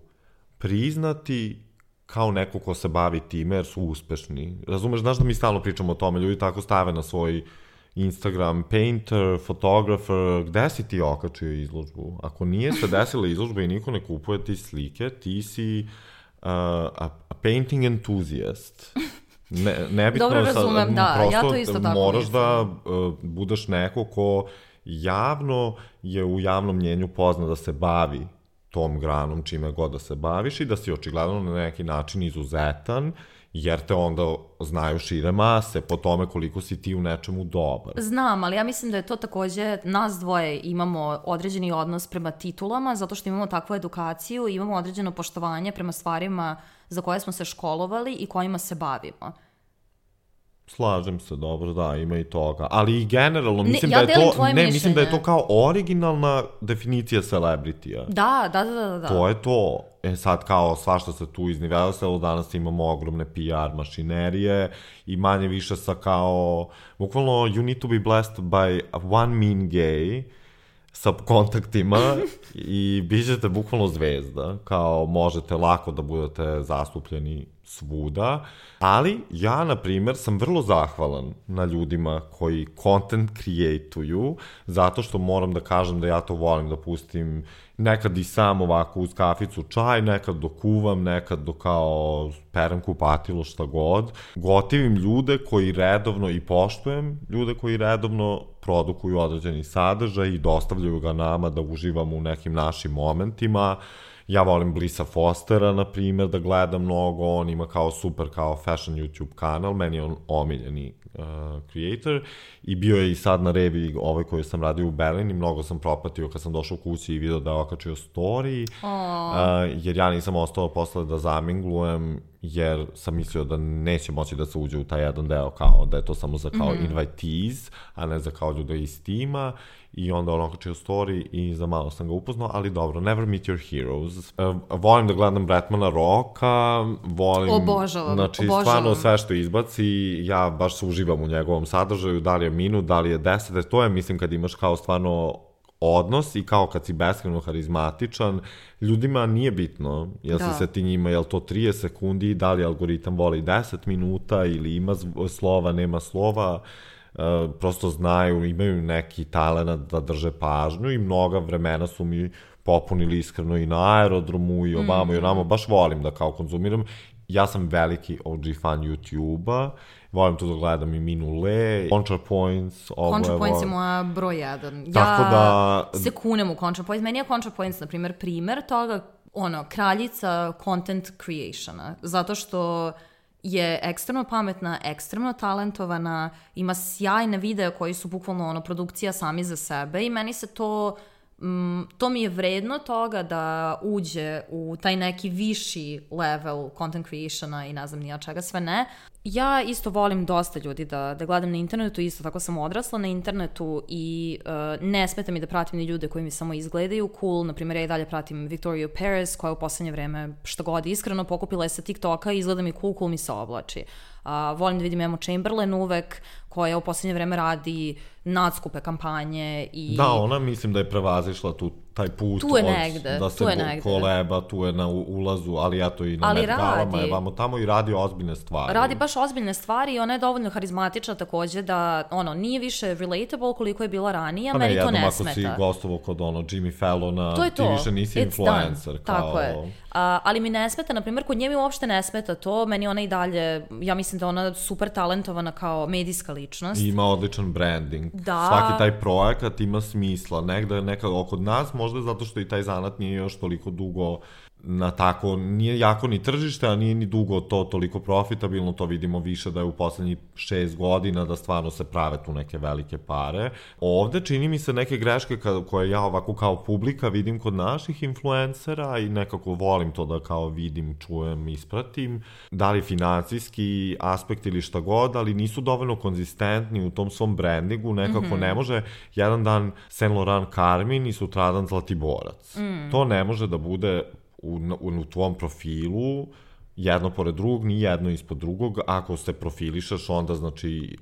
priznati kao neko ko se bavi time jer su uspešni. Razumeš, znaš da mi stalno pričamo o tome, ljudi tako stave na svoj Instagram, painter, fotografer, gde si ti okačio izložbu? Ako nije se desila izložba i niko ne kupuje ti slike, ti si uh, a, a painting enthusiast. Ne, nebitno, dobro razumem, sad, da, prosto ja to isto tako moraš mislim. da uh, budeš neko ko javno je u javnom mnjenju pozna da se bavi tom granom čime god da se baviš i da si očigledno na neki način izuzetan, jer te onda znaju šire mase po tome koliko si ti u nečemu dobar. Znam, ali ja mislim da je to takođe, nas dvoje imamo određeni odnos prema titulama, zato što imamo takvu edukaciju, imamo određeno poštovanje prema stvarima za koje smo se školovali i kojima se bavimo. Slažem se, dobro, da, ima i toga. Ali i generalno, mislim ne, ja da je to, ne, mišljenje. mislim da je to kao originalna definicija celebrity-a. Da, da, da, da, da. To je to. E sad kao svašta se tu iznivelsalo, danas imamo ogromne P R mašinerije i manje više sa kao, bukvalno you need to be blessed by one mean gay sa kontaktima i bit ćete bukvalno zvezda, kao možete lako da budete zastupljeni svuda, ali ja, na primjer, sam vrlo zahvalan na ljudima koji content create-uju, zato što moram da kažem da ja to volim da pustim nekad i sam ovako uz kaficu čaj, nekad dok kuvam, nekad dok kao perem kupatilo, šta god. Gotivim ljude koji redovno i poštujem, ljude koji redovno produkuju određeni sadržaj i dostavljaju ga nama da uživamo u nekim našim momentima. Ja volim Blissa Fostera, na primjer, da gledam mnogo, on ima kao super kao fashion YouTube kanal, meni je on omiljeni uh, creator i bio je i sad na revi ovaj koji sam radio u Berlin i mnogo sam propatio kad sam došao kući i video da je okačio story, uh, jer ja nisam ostao posle da zaminglujem, jer sam mislio da neće moći da se uđe u taj jedan deo, kao da je to samo za kao mm-hmm. invitees, a ne za kao ljude iz tima. I onda on okačio story i za malo sam ga upoznao, ali dobro, never meet your heroes. Uh, volim da gledam Bretmana Rocka, volim... Obožavam, znači, obožavam. stvarno sve što izbaci, ja baš se uživam u njegovom sadržaju, da li je minut, da li je deset, to je, mislim, kad imaš kao stvarno odnos i kao kad si beskreno harizmatičan, ljudima nije bitno, jel da. Si se ti njima, jel to trideset sekundi, da li algoritam voli deset minuta ili ima slova, nema slova, Uh, prosto znaju, imaju neki talenat da drže pažnju i mnoga vremena su mi popunili iskreno i na aerodromu i ovamo mm. i onamo, baš volim da kao konzumiram. Ja sam veliki O G fan YouTube-a, volim tu da gledam i Minu Le, ContraPoints. ContraPoints je moja broj jedan. Tako ja da... se kunem u ContraPoints. Meni je ContraPoints, na primjer, primer toga, ono, kraljica content creationa, zato što je ekstremno pametna, ekstremno talentovana, ima sjajne videe koji su bukvalno ono, produkcija sami za sebe i meni se to mm, to mi je vredno toga da uđe u taj neki viši level content creationa i ne znam nija čega sve ne. Ja isto volim dosta ljudi da, da gledam na internetu, isto tako sam odrasla na internetu i uh, ne smeta mi da pratim ni ljude koji mi samo izgledaju cool. Naprimjer, ja i dalje pratim Victoria Perez, koja u poslednje vreme šta god iskreno pokupila je sa TikToka i izgleda mi cool, cool mi se oblači. Uh, volim da vidim Emma Chamberlain uvek, koja u poslednje vreme radi nadskupe kampanje i... Da, ona mislim da je prevazišla tu, taj put tu je negde, da se tu je negde. koleba, tu je na ulazu, ali ja to i na Met Galama je vamo tamo i radi ozbiljne stvari. Radi baš ozbiljne stvari i ona je dovoljno harizmatična takođe da, ono, nije više relatable koliko je bila ranije, a meni to ne smeta. Pa ne, jednom ako si gostovo kod ono Jimmy Fallona, to je to. Ti više nisi It's influencer. Done. Kao... Tako je. A, ali mi ne smeta, na primjer, kod nje mi uopšte ne smeta to, meni ona i dalje, ja mislim da ona super talentovana kao medijska ličnost. I ima odličan branding. Da. Svaki taj projekat ima smisla. Negde nekako kod nas, možda zato što i taj zanat nije još toliko dugo na tako, nije jako ni tržište, a nije ni dugo to toliko profitabilno, to vidimo više da je u poslednjih šest godina da stvarno se prave tu neke velike pare. Ovde čini mi se neke greške koje ja ovako kao publika vidim kod naših influencera i nekako volim to da kao vidim, čujem, ispratim, da li financijski aspekt ili šta god, ali nisu dovoljno konzistentni u tom svom brandingu, nekako mm-hmm. ne može jedan dan Saint Laurent Carmin i sutradan Zlatiborac. Mm. To ne može da bude U, u, u tvom profilu jedno pored drugog, ni jedno ispod drugog. Ako se profilišaš, onda znači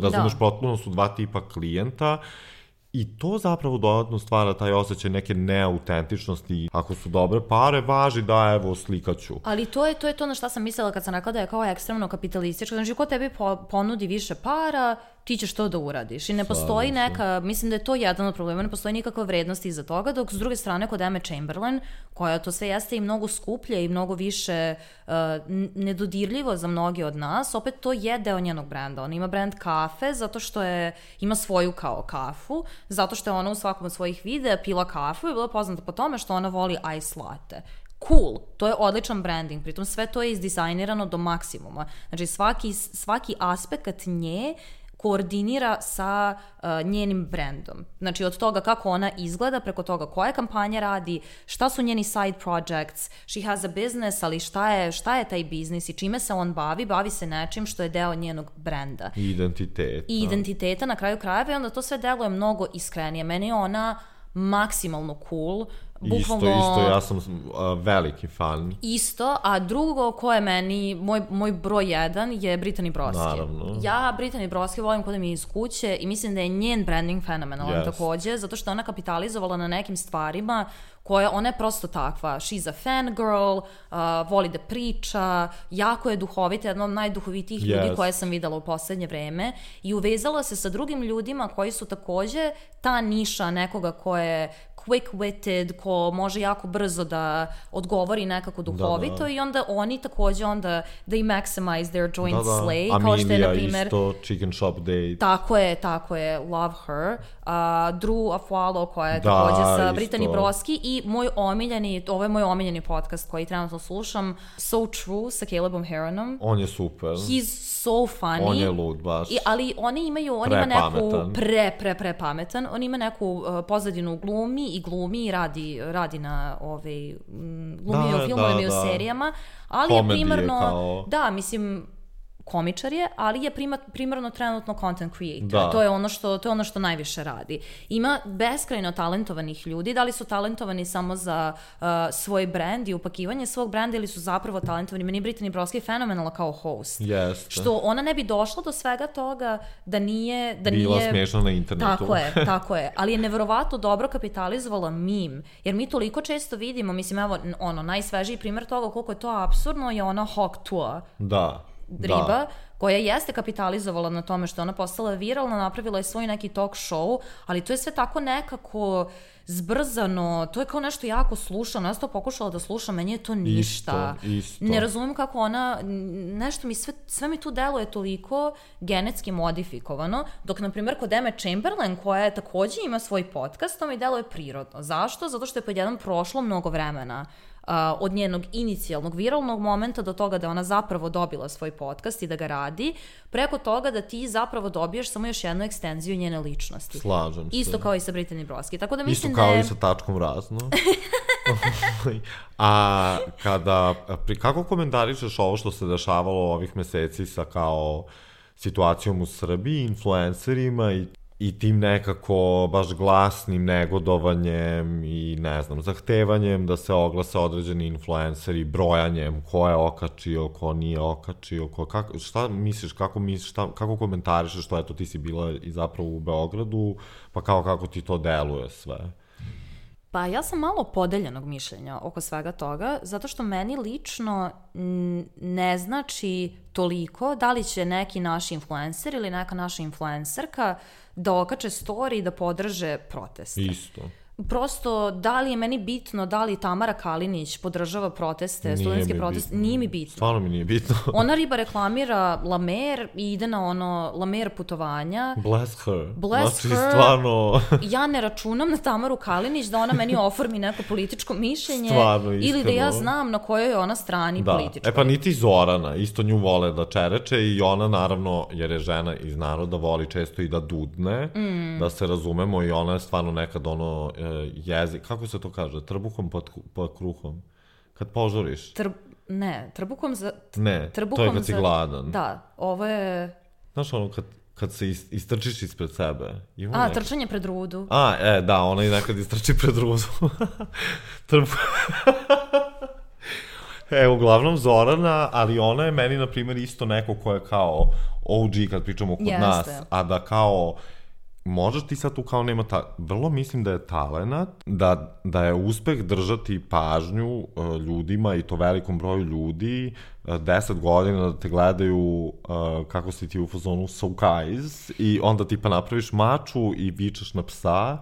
razumeš, potpuno su dva tipa klijenta i to zapravo dodatno stvara taj osjećaj neke neautentičnosti. Ako su dobre pare, važi da evo slikaću. Ali to je to je to na šta sam mislila kad sam rekla da je kao ekstremno kapitalističko. Znači, ko tebi po, ponudi više para, ti ćeš to da uradiš. I ne postoji neka, mislim da je to jedan od problema, ne postoji nikakva vrednost iza toga, dok s druge strane kod Emma Chamberlain, koja to sve jeste i mnogo skuplje i mnogo više uh, nedodirljivo za mnogi od nas, opet to je deo njenog brenda. Ona ima brand kafe zato što je, ima svoju kao kafu, zato što je ona u svakom od svojih videa pila kafu i bila poznata po tome što ona voli ice latte. Cool, to je odličan branding, pritom sve to je izdizajnirano do maksimuma. Znači svaki, svaki aspekt nje koordinira sa uh, njenim brandom. Znači od toga kako ona izgleda, preko toga koje kampanje radi, šta su njeni side projects, she has a business, ali šta je, šta je taj biznis i čime se on bavi, bavi se nečim što je deo njenog brenda. I identiteta. I identiteta na kraju krajeva i onda to sve deluje mnogo iskrenije. Meni je ona maksimalno cool. Bukvalno, isto, isto, ja sam uh, veliki fan. Isto, a drugo ko je meni, moj, moj broj jedan je Brittany Broski. Naravno. Ja Brittany Broski volim kod mi je iz kuće i mislim da je njen branding fenomenalan yes. takođe, zato što ona kapitalizovala na nekim stvarima koja, ona je prosto takva. She's a fangirl, uh, voli da priča, jako je duhovita, jedna od najduhovitijih yes. ljudi koje sam videla u poslednje vreme i uvezala se sa drugim ljudima koji su takođe ta niša nekoga ko je quick-witted, ko može jako brzo da odgovori nekako duhovito da, da. I onda oni takođe onda they maximize their joint da, da. slay. Amelia kao što je, na primer, isto, Chicken Shop Date. Tako je, tako je, love her. Uh, Drew Afualo koja je da, takođe sa Brittany Broski i moj omiljeni, ovo je moj omiljeni podcast koji trenutno slušam, So True sa Calebom Heronom. On je super. He's so funny. On je lud baš. I, ali oni imaju, on ima neku pre, pre, pre pametan, on ima neku uh, pozadinu glumi i glumi i radi, radi na ove, glumi da, u filmovima i u serijama, ali komedije je primarno, kao... da, mislim, komičar je, ali je prima, primarno trenutno content creator. Da. To je ono što to je ono što najviše radi. Ima beskrajno talentovanih ljudi, da li su talentovani samo za uh, svoj brand i upakivanje svog brenda ili su zapravo talentovani. Meni je Brittany Broski fenomenalna kao host. Jeste. Što ona ne bi došla do svega toga da nije... Da Bila nije... smiješna na internetu. Tako je, tako je. Ali je neverovatno dobro kapitalizovala meme. Jer mi toliko često vidimo, mislim, evo, ono, najsvežiji primjer toga koliko je to apsurdno je ona Hawk Tuah. Da. Riba, da. koja jeste kapitalizovala na tome što ona postala viralna, napravila je svoj neki talk show, ali to je sve tako nekako zbrzano, to je kao nešto jako slušano, ja sam to pokušala da slušam, meni je to ništa. Isto, isto. Ne razumijem kako ona, nešto mi, sve, sve mi tu deluje toliko genetski modifikovano, dok, na primjer, kod Emma Chamberlain, koja je takođe ima svoj podcast, to mi deluje prirodno. Zašto? Zato što je pod jedan prošlo mnogo vremena od njenog inicijalnog viralnog momenta do toga da ona zapravo dobila svoj podcast i da ga radi, preko toga da ti zapravo dobiješ samo još jednu ekstenziju njene ličnosti. Slažem se. Isto kao i sa Brittany Broski. Tako da mislim Isto kao da je... i sa tačkom razno. A kada, kako komentarišeš ovo što se dešavalo ovih meseci sa kao situacijom u Srbiji, influencerima i i tim nekako baš glasnim negodovanjem i ne znam, zahtevanjem da se oglase određeni influenceri, brojanjem ko je okačio, ko nije okačio, ko, kako, šta misliš, kako misliš, šta, kako komentarišeš što eto ti si bila i zapravo u Beogradu, pa kao kako ti to deluje sve? Pa ja sam malo podeljenog mišljenja oko svega toga, zato što meni lično ne znači toliko da li će neki naš influencer ili neka naša influencerka da okače story i da podrže proteste. Isto. Prosto, da li je meni bitno da li Tamara Kalinić podržava proteste, studentske proteste, bitno. Nije mi bitno. Stvarno mi nije bitno. Ona riba reklamira La Mer i ide na ono La Mer putovanja. Bless her. Bless znači, her. Stvarno... Ja ne računam na Tamaru Kalinić da ona meni oformi neko političko mišljenje. Stvarno, iskreno. Ili da ja znam na kojoj je ona strani da. političkoj. E pa niti Zorana, isto nju vole da čereče i ona naravno, jer je žena iz naroda, voli često i da dudne, mm. da se razumemo i ona je stvarno nekad ono... jezik, kako se to kaže? Trbuhom pod, pod kruhom? Kad požuriš? Tr, ne, trbuhom za... Ne, trbuhom to je kad si za, gladan. Da, ovo je... Znaš ono, kad, kad se istrčiš ispred sebe. Ima A, neki... trčanje pred rudu. A, e, da, ona i nekad istrči pred rudu. Trbuh... E, uglavnom Zorana, ali ona je meni, na primjer, isto neko ko je kao O G kad pričamo kod Jeste. nas, a da kao... Možeš ti sad tu kao nema ta... Vrlo mislim da je talenat, da, da je uspeh držati pažnju uh, ljudima i to velikom broju ljudi, uh, deset godina da te gledaju uh, kako si ti u fazonu so guys i onda ti pa napraviš maču i vičeš na psa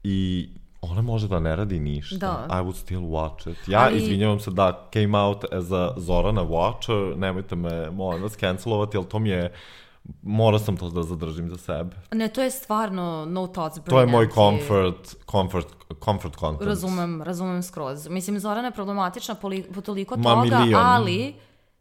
i ona može da ne radi ništa. Da. I would still watch it. Ja ali... izvinjavam se da came out as a Zorana watcher, nemojte me, molim vas, cancelovati, ali to mi je morao sam to da zadržim za sebe. Ne, to je stvarno no thoughts brilliant. To je moj comfort, comfort, comfort content. Razumem, razumem skroz. Mislim, Zorana je problematična po, li, po toliko Ma, toga, milion. ali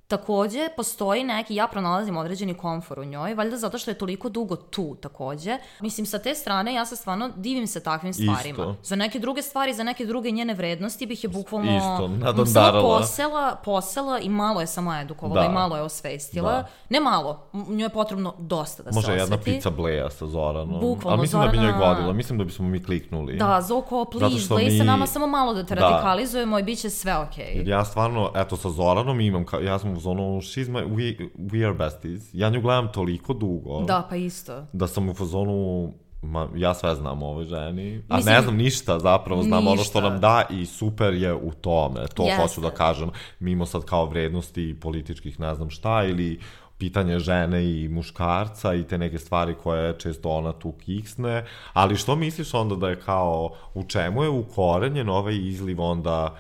takođe postoji neki, ja pronalazim određeni komfor u njoj, valjda zato što je toliko dugo tu takođe. Mislim, sa te strane ja se stvarno divim se takvim stvarima. Isto. Za neke druge stvari, za neke druge njene vrednosti bih je bukvalno Isto, samo posela, posela i malo je samo edukovala da. i malo je osvestila. Da. Ne malo, njoj je potrebno dosta da Može se osveti. Može jedna pizza Bleja sa Zoranom. Bukvalno, ali mislim Zorana... da bi njoj godila, mislim da bismo mi kliknuli. Da, Zoko, please, Blej mi... sa nama samo malo da te da. radikalizujemo i bit će sve okej. Okay. Jer ja stvarno, eto, sa Zoranom imam, ka, ja sam u zonu, she's my, we, we are besties. Ja nju gledam toliko dugo. Da, pa isto. Da sam u fazonu, ma, ja sve znam o ovoj ženi, a mislim, ne znam ništa zapravo, znam ništa. Ono što nam da i super je u tome. To Jeste. Hoću da kažem, mimo sad kao vrednosti političkih ne znam šta ili pitanje žene i muškarca i te neke stvari koje često ona tu kiksne, ali što misliš onda da je kao, u čemu je ukorenjen ovaj izliv onda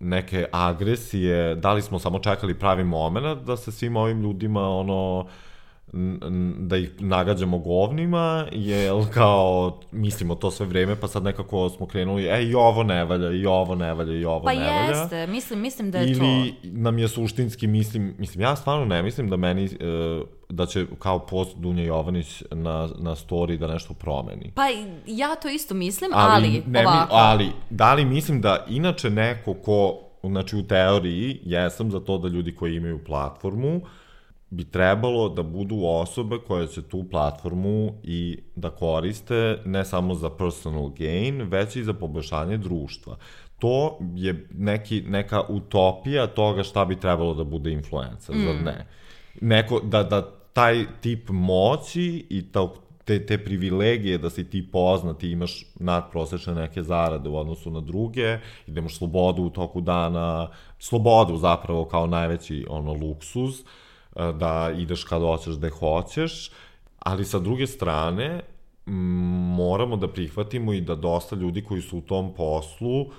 neke agresije, da li smo samo čekali pravi moment da se svim ovim ljudima ono da ih nagađamo govnima, jel kao mislimo to sve vreme, pa sad nekako smo krenuli, e i ovo ne valja, i ovo ne valja, i ovo pa ne valja. Pa jeste, mislim, mislim da je ili to. Ili nam je suštinski, mislim, mislim, ja stvarno ne mislim da meni, da će kao post Dunja Jovanić na, na story da nešto promeni. Pa ja to isto mislim, ali, ali ne ovako. Mi, ali, da li mislim da inače neko ko, znači u teoriji, jesam za to da ljudi koji imaju platformu, bi trebalo da budu osobe koje će tu platformu i da koriste ne samo za personal gain, već i za poboljšanje društva. To je neki, neka utopija toga šta bi trebalo da bude influencer, mm. zar ne? Neko, da, da taj tip moći i ta, te, te privilegije da si ti poznat i imaš nadprosečne neke zarade u odnosu na druge i da imaš slobodu u toku dana, slobodu zapravo kao najveći ono luksuz, da ideš kada hoćeš, gde hoćeš, ali sa druge strane m, moramo da prihvatimo i da dosta ljudi koji su u tom poslu uh,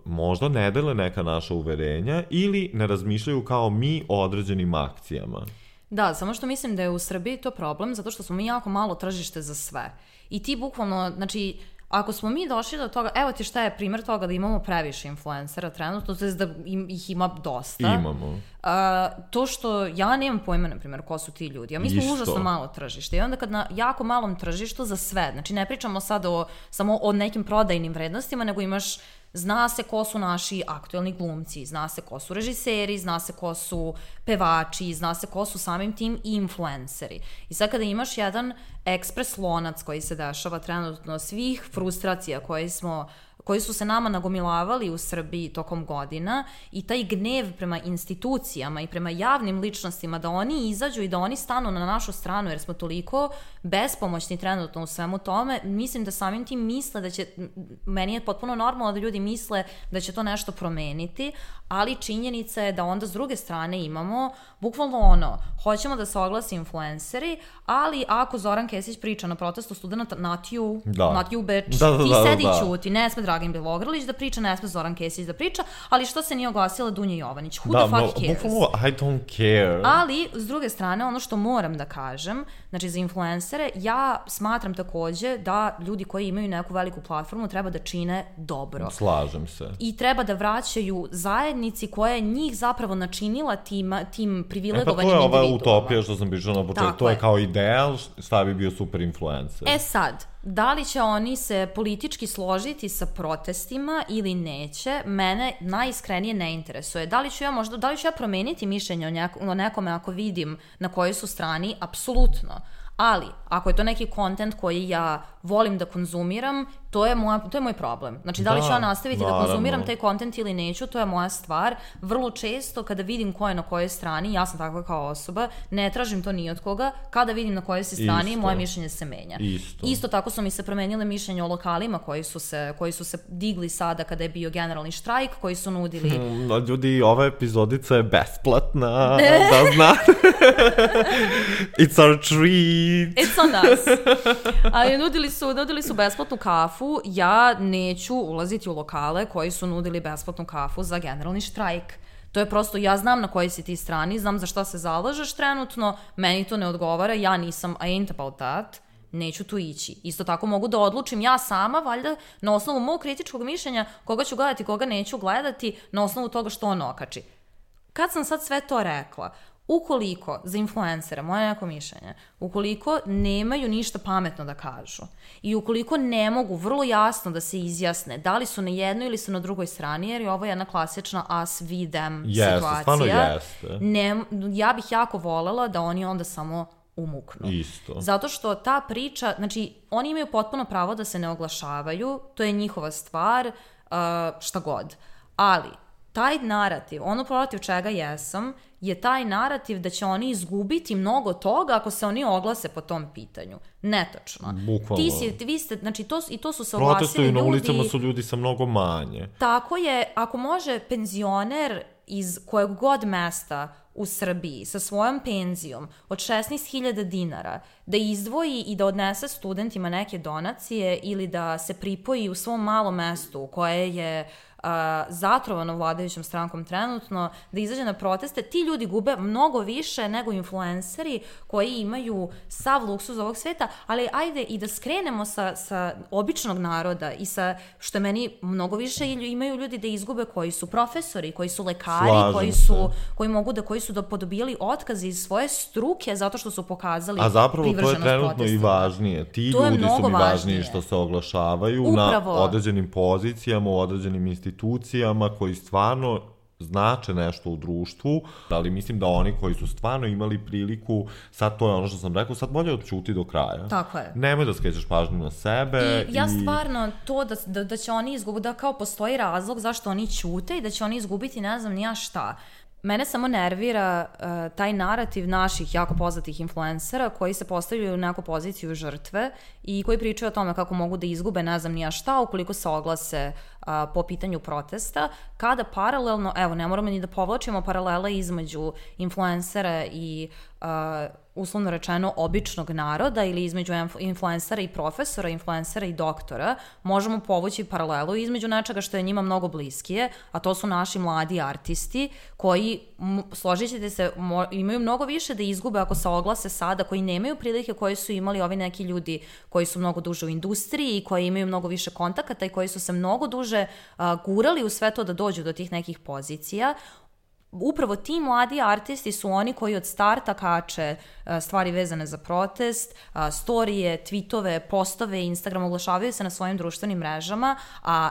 možda ne dele neka naša uverenja ili ne razmišljaju kao mi o određenim akcijama. Da, samo što mislim da je u Srbiji to problem, zato što smo mi jako malo tržište za sve. I ti bukvalno, znači, ako smo mi došli do toga, evo ti šta je primjer toga da imamo previše influencera trenutno, to je da im, ih ima dosta. Imamo. Uh, to što ja nemam pojma, na primjer, ko su ti ljudi. A mi smo Isto. užasno malo tržište. I onda kad na jako malom tržištu za sve, znači ne pričamo sad o, samo o nekim prodajnim vrednostima, nego imaš, zna se ko su naši aktuelni glumci, zna se ko su režiseri, zna se ko su pevači, zna se ko su samim tim influenceri. I sad kada imaš jedan ekspres lonac koji se dešava trenutno, svih frustracija koje smo koji su se nama nagomilavali u Srbiji tokom godina i taj gnev prema institucijama i prema javnim ličnostima da oni izađu i da oni stanu na našu stranu jer smo toliko bespomoćni trenutno u svemu tome, mislim da samim tim misle da će, meni je potpuno normalno da ljudi misle da će to nešto promeniti, ali činjenica je da onda s druge strane imamo bukvalno ono, hoćemo da se oglasi influenceri, ali ako Zoran Kesić priča na protestu studenta not you, da. not you bitch, da, da, ti da, sedi da. i ćuti, ne sme Dragin Bilogrlić da priča, ne sme Zoran Kesić da priča, ali što se nije oglasila Dunja Jovanić? Who da, the fuck no, cares? Bukvalno, I don't care. Ali, s druge strane, ono što moram da kažem, znači za influencere, ja smatram takođe da ljudi koji imaju neku veliku platformu treba da čine dobro. Slažem se. I treba da vraćaju zajednici koja je njih zapravo načinila tim, tim privilegovanim individuama. E pa to je ova utopija što sam pričala na početku, to je kao ideal, šta bi bio super influencer. E sad, da li će oni se politički složiti sa protestima ili neće, mene najiskrenije ne interesuje. Da li ću ja možda, da li ću ja promeniti mišljenje o, njek, o nekome ako vidim na kojoj su strani? Apsolutno. Ali, ako je to neki kontent koji ja volim da konzumiram, to je, moja, to je moj problem. Znači, da li ću ja nastaviti naravno. da konzumiram taj kontent ili neću, to je moja stvar. Vrlo često, kada vidim ko je na kojoj strani, ja sam takva kao osoba, ne tražim to ni od koga, kada vidim na kojoj si strani, Isto. moje mišljenje se menja. Isto. Isto tako su mi se promenile mišljenje o lokalima koji su, se, koji su se digli sada kada je bio generalni štrajk, koji su nudili... Hmm, ljudi, ova epizodica je besplatna, da znate. It's our treat. It's on us. Ali nudili su, nudili su besplatnu kafu. Ja neću ulaziti u lokale koji su nudili besplatnu kafu za generalni štrajk. To je prosto, ja znam na kojoj si ti strani, znam za šta se zalažeš trenutno, meni to ne odgovara, ja nisam, I ain't about that, neću tu ići. Isto tako mogu da odlučim ja sama, valjda, na osnovu mog kritičkog mišljenja, koga ću gledati, koga neću gledati, na osnovu toga što on okači. Kad sam sad sve to rekla, ukoliko za influencera, moje neko mišljenje, ukoliko nemaju ništa pametno da kažu i ukoliko ne mogu vrlo jasno da se izjasne da li su na jednoj ili su na drugoj strani, jer je ovo jedna klasična us, we, them yes, situacija, ne, ja bih jako volela da oni onda samo umuknu. Isto. Zato što ta priča, znači, oni imaju potpuno pravo da se ne oglašavaju, to je njihova stvar, uh, šta god. Ali, taj narativ, ono protiv čega jesam, je taj narativ da će oni izgubiti mnogo toga ako se oni oglase po tom pitanju. Netočno. Bukvalno. Ti si, vi ste, znači to, i to su se oglasili Protestuju ljudi. na ulicama su ljudi sa mnogo manje. Tako je, ako može penzioner iz kojeg god mesta u Srbiji sa svojom penzijom od šesnaest hiljada dinara da izdvoji i da odnese studentima neke donacije ili da se pripoji u svom malom mestu koje je Uh, zatrovano vladajućom strankom trenutno, da izađe na proteste, ti ljudi gube mnogo više nego influenceri koji imaju sav luksuz ovog sveta, ali ajde i da skrenemo sa, sa običnog naroda i sa, što je meni mnogo više imaju ljudi da izgube koji su profesori, koji su lekari, Slažem koji su, koji mogu da, koji su da podobijali otkaze iz svoje struke zato što su pokazali a zapravo privrženost to je trenutno protestima. i važnije. Ti to ljudi su mi važniji važnije. što se oglašavaju Upravo. na određenim pozicijama, u određenim institucijama institucijama koji stvarno znače nešto u društvu, ali mislim da oni koji su stvarno imali priliku, sad to je ono što sam rekao, sad bolje odćuti do kraja. Tako je. Nemoj da skrećeš pažnju na sebe. I ja i... stvarno to da, da, da će oni izgubiti, da kao postoji razlog zašto oni ćute i da će oni izgubiti ne znam ni ja šta. Mene samo nervira uh, taj narativ naših jako poznatih influencera koji se postavljaju u neku poziciju žrtve i koji pričaju o tome kako mogu da izgube ne znam ni ja šta ukoliko se oglase uh, po pitanju protesta, kada paralelno, evo ne moramo ni da povlačimo paralele između influencera i uh, uslovno rečeno običnog naroda ili između influencera i profesora, influencera i doktora, možemo povući paralelu između nečega što je njima mnogo bliskije, a to su naši mladi artisti koji, složit ćete se, imaju mnogo više da izgube ako se oglase sada, koji nemaju prilike koje su imali ovi neki ljudi koji su mnogo duže u industriji i koji imaju mnogo više kontakata i koji su se mnogo duže uh, gurali u sve to da dođu do tih nekih pozicija. Upravo ti mladi artisti su oni koji od starta kače stvari vezane za protest, storije, tweetove, postove, Instagram, oglašavaju se na svojim društvenim mrežama, a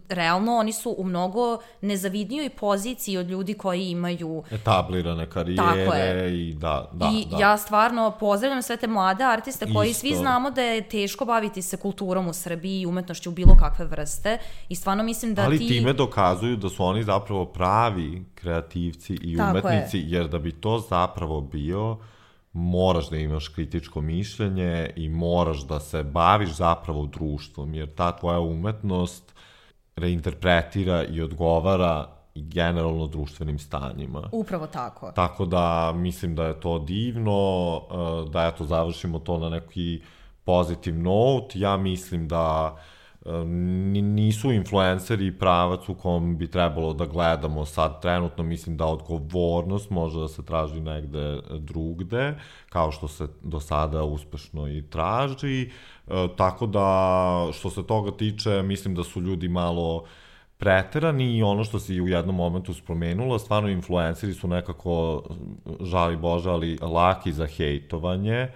realno oni su u mnogo nezavidnijoj poziciji od ljudi koji imaju etablirane karijere i da, da, I da. ja stvarno pozdravljam sve te mlade artiste koji Isto. Svi znamo da je teško baviti se kulturom u Srbiji i umetnošću u bilo kakve vrste i stvarno mislim da Ali ti... Ali time dokazuju da su oni zapravo pravi kreativci i Tako umetnici, je. Jer da bi to zapravo bio, moraš da imaš kritičko mišljenje i moraš da se baviš zapravo društvom, jer ta tvoja umetnost reinterpretira i odgovara i generalno društvenim stanjima. Upravo tako. Tako da mislim da je to divno, da eto završimo to na neki pozitiv note. Ja mislim da nisu influenceri pravac u kom bi trebalo da gledamo sad trenutno. Mislim da odgovornost može da se traži negde drugde, kao što se do sada uspešno i traži. E, tako da, što se toga tiče, mislim da su ljudi malo preterani i ono što si u jednom momentu spomenula, stvarno influenceri su nekako, žali Bože, ali laki za hejtovanje.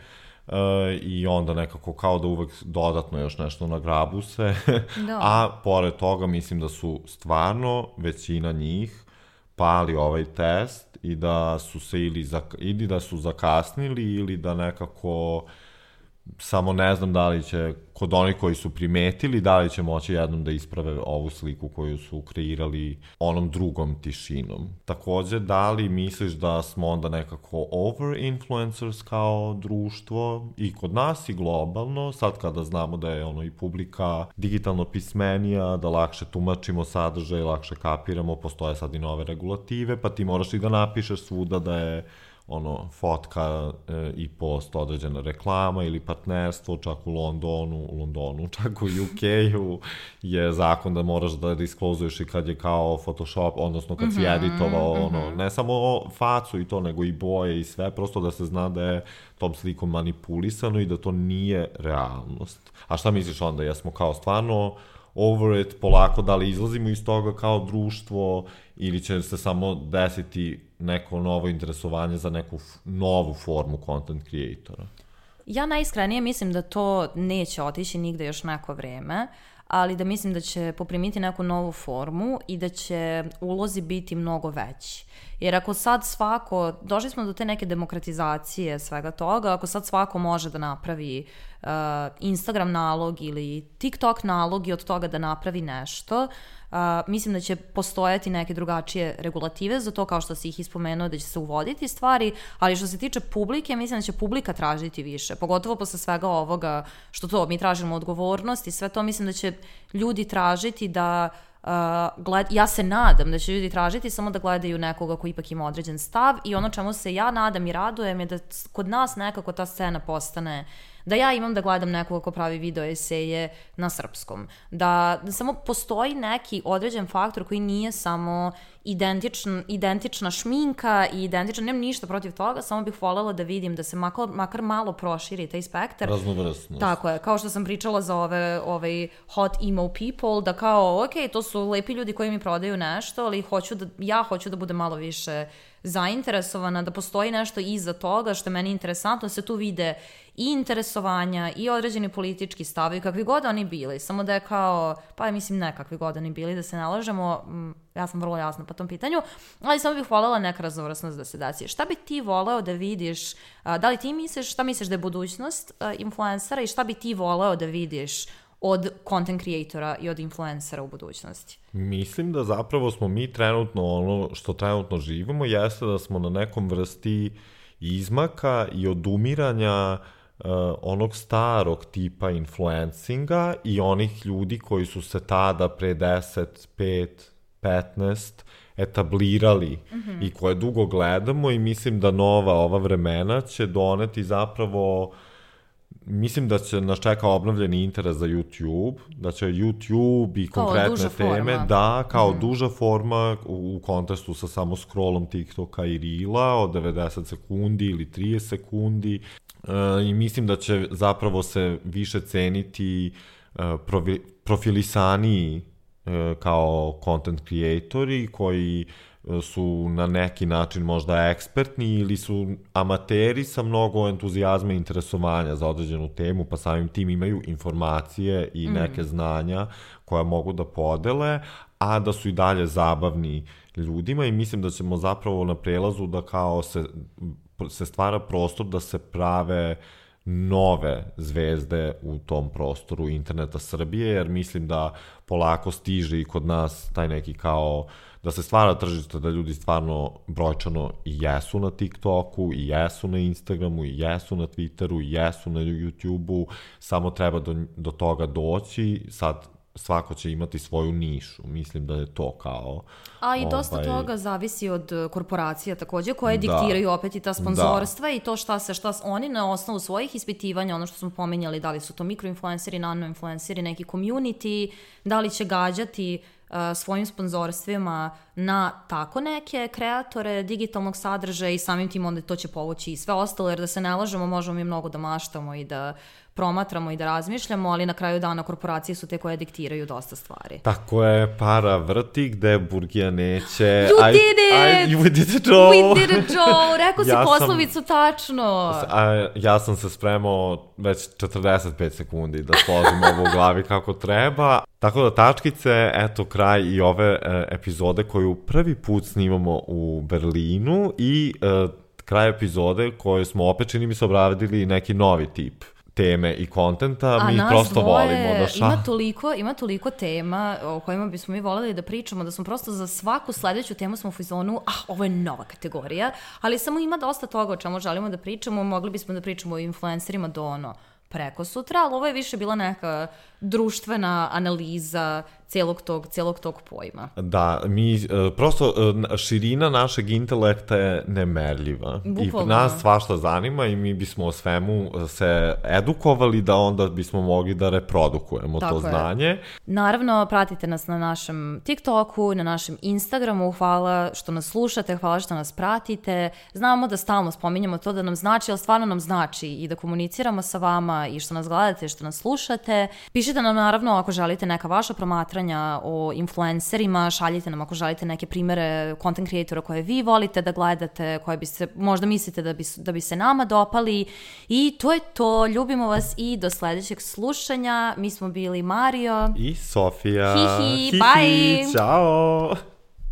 Uh, i onda nekako kao da uvek dodatno još nešto nagrabu se, da. A pored toga mislim da su stvarno većina njih pali ovaj test i da su se ili, zak- ili da su zakasnili ili da nekako samo ne znam da li će kod onih koji su primetili, da li će moći jednom da isprave ovu sliku koju su kreirali onom drugom tišinom. Takođe, da li misliš da smo onda nekako over-influencers kao društvo i kod nas i globalno, sad kada znamo da je ono i publika digitalno pismenija, da lakše tumačimo sadržaj, lakše kapiramo, postoje sad i nove regulative, pa ti moraš i da napišeš svuda da je ono, fotka e, i post određena reklama ili partnerstvo, čak u Londonu, u Londonu, čak u U K-u je zakon da moraš da disklozuješ i kad je kao Photoshop, odnosno kad mm-hmm, si editovao, mm-hmm. ono, ne samo facu i to, nego i boje i sve, prosto da se zna da je tom slikom manipulisano i da to nije realnost. A šta misliš onda, jesmo kao stvarno over it, polako, da li izlazimo iz toga kao društvo ili će se samo desiti neko novo interesovanje za neku f- novu formu content creatora? Ja najiskrenije mislim da to neće otići nigde još neko vreme, ali da mislim da će poprimiti neku novu formu i da će ulozi biti mnogo veći. Jer ako sad svako, došli smo do te neke demokratizacije svega toga, ako sad svako može da napravi uh, Instagram nalog ili TikTok nalog i od toga da napravi nešto, uh, mislim da će postojati neke drugačije regulative za to, kao što si ih ispomenuo, da će se uvoditi stvari, ali što se tiče publike, mislim da će publika tražiti više, pogotovo posle svega ovoga što to, mi tražimo odgovornost i sve to, mislim da će ljudi tražiti da Uh, gled, ja se nadam da će ljudi tražiti samo da gledaju nekoga koji ipak ima određen stav i ono čemu se ja nadam i radujem je da kod nas nekako ta scena postane, da ja imam da gledam nekoga ko pravi video eseje na srpskom, da, da samo postoji neki određen faktor koji nije samo identičn, identična šminka i identična, nemam ništa protiv toga, samo bih voljela da vidim da se makar, makar malo proširi taj spektar. Raznovrstnost. Tako je, kao što sam pričala za ove ovaj hot emo people, da kao, ok, to su lepi ljudi koji mi prodaju nešto, ali hoću da, ja hoću da budem malo više zainteresovana, da postoji nešto iza toga što je meni interesantno, da se tu vide i interesovanja i određeni politički stavovi, kakvi god oni bili, samo da je kao, pa mislim ne kakvi god oni bili, da se nalažemo, ja sam vrlo jasna po tom pitanju, ali samo bih voljela neka raznovrsnost da se desi. Šta bi ti voleo da vidiš, da li ti misliš, šta misliš da je budućnost influencera i šta bi ti voleo da vidiš od content creatora i od influencera u budućnosti? Mislim da zapravo smo mi trenutno, ono što trenutno živimo, jeste da smo na nekom vrsti izmaka i odumiranja uh, onog starog tipa influencinga i onih ljudi koji su se tada pre deset, pet, petnaest etablirali mm-hmm. i koje dugo gledamo i mislim da nova ova vremena će doneti zapravo, mislim da će nas čeka obnovljeni interes za YouTube, da će YouTube i kao konkretne teme, forma. da, kao mm-hmm. duža forma u, u kontestu sa samo scrollom TikToka i Reela od devedeset sekundi ili trideset sekundi e, i mislim da će zapravo se više ceniti e, provi, profilisaniji e, kao content creatori koji su na neki način možda ekspertni ili su amateri sa mnogo entuzijazma i interesovanja za određenu temu, pa samim tim imaju informacije i neke mm. znanja koja mogu da podele, a da su i dalje zabavni ljudima i mislim da ćemo zapravo na prelazu da kao se, se stvara prostor da se prave nove zvezde u tom prostoru interneta Srbije, jer mislim da polako stiže i kod nas taj neki kao da se stvara tržište da ljudi stvarno brojčano i jesu na TikToku, i jesu na Instagramu, i jesu na Twitteru, i jesu na YouTubeu, samo treba do, do toga doći, sad svako će imati svoju nišu, mislim da je to kao... A i dosta ovaj... toga zavisi od korporacija takođe, koje da. diktiraju opet i ta sponzorstva da. i to šta se, šta oni na osnovu svojih ispitivanja, ono što smo pominjali, da li su to mikroinfluenceri, nanoinfluenceri, neki community, da li će gađati uh, svojim sponzorstvima na tako neke kreatore digitalnog sadržaja i samim tim onda to će povući i sve ostalo, jer da se ne lažemo, možemo mi mnogo da maštamo i da promatramo i da razmišljamo, ali na kraju dana korporacije su te koje diktiraju dosta stvari. Tako je, para vrti gde burgija neće. You I, did it! I, we did it, Joe! We did it, Joe! Rekao si ja poslovicu sam, tačno! A, ja sam se spremao već četrdeset pet sekundi da složim ovo u glavi kako treba. Tako da, tačkice, eto kraj i ove e, epizode koju prvi put snimamo u Berlinu i e, kraj epizode koju smo opet, čini mi se, obradili neki novi tip teme i kontenta, a mi prosto dvoje, volimo da ša... Ima toliko, ima toliko tema o kojima bismo mi voljeli da pričamo, da smo prosto za svaku sledeću temu smo u fazonu, ah, ovo je nova kategorija, ali samo ima dosta toga o čemu želimo da pričamo, mogli bismo da pričamo o influencerima do ono preko sutra, ali ovo je više bila neka društvena analiza celog tog, celog tog pojma. Da, mi, prosto širina našeg intelekta je nemerljiva. Bukvalno. I nas svašta zanima i mi bismo o svemu se edukovali da onda bismo mogli da reprodukujemo tako to znanje. Je. Naravno, pratite nas na našem TikToku, na našem Instagramu, hvala što nas slušate, hvala što nas pratite. Znamo da stalno spominjamo to da nam znači, ali stvarno nam znači i da komuniciramo sa vama i što nas gledate, što nas slušate. Pišite nam naravno ako želite neka vaša promatranja o influencerima, šaljite nam ako želite neke primere content creatora koje vi volite da gledate, koje bi se, možda mislite da bi, da bi se nama dopali i to je to, ljubimo vas i do sledećeg slušanja. Mi smo bili Mario i Sofija. Hihi, bye! Ćao!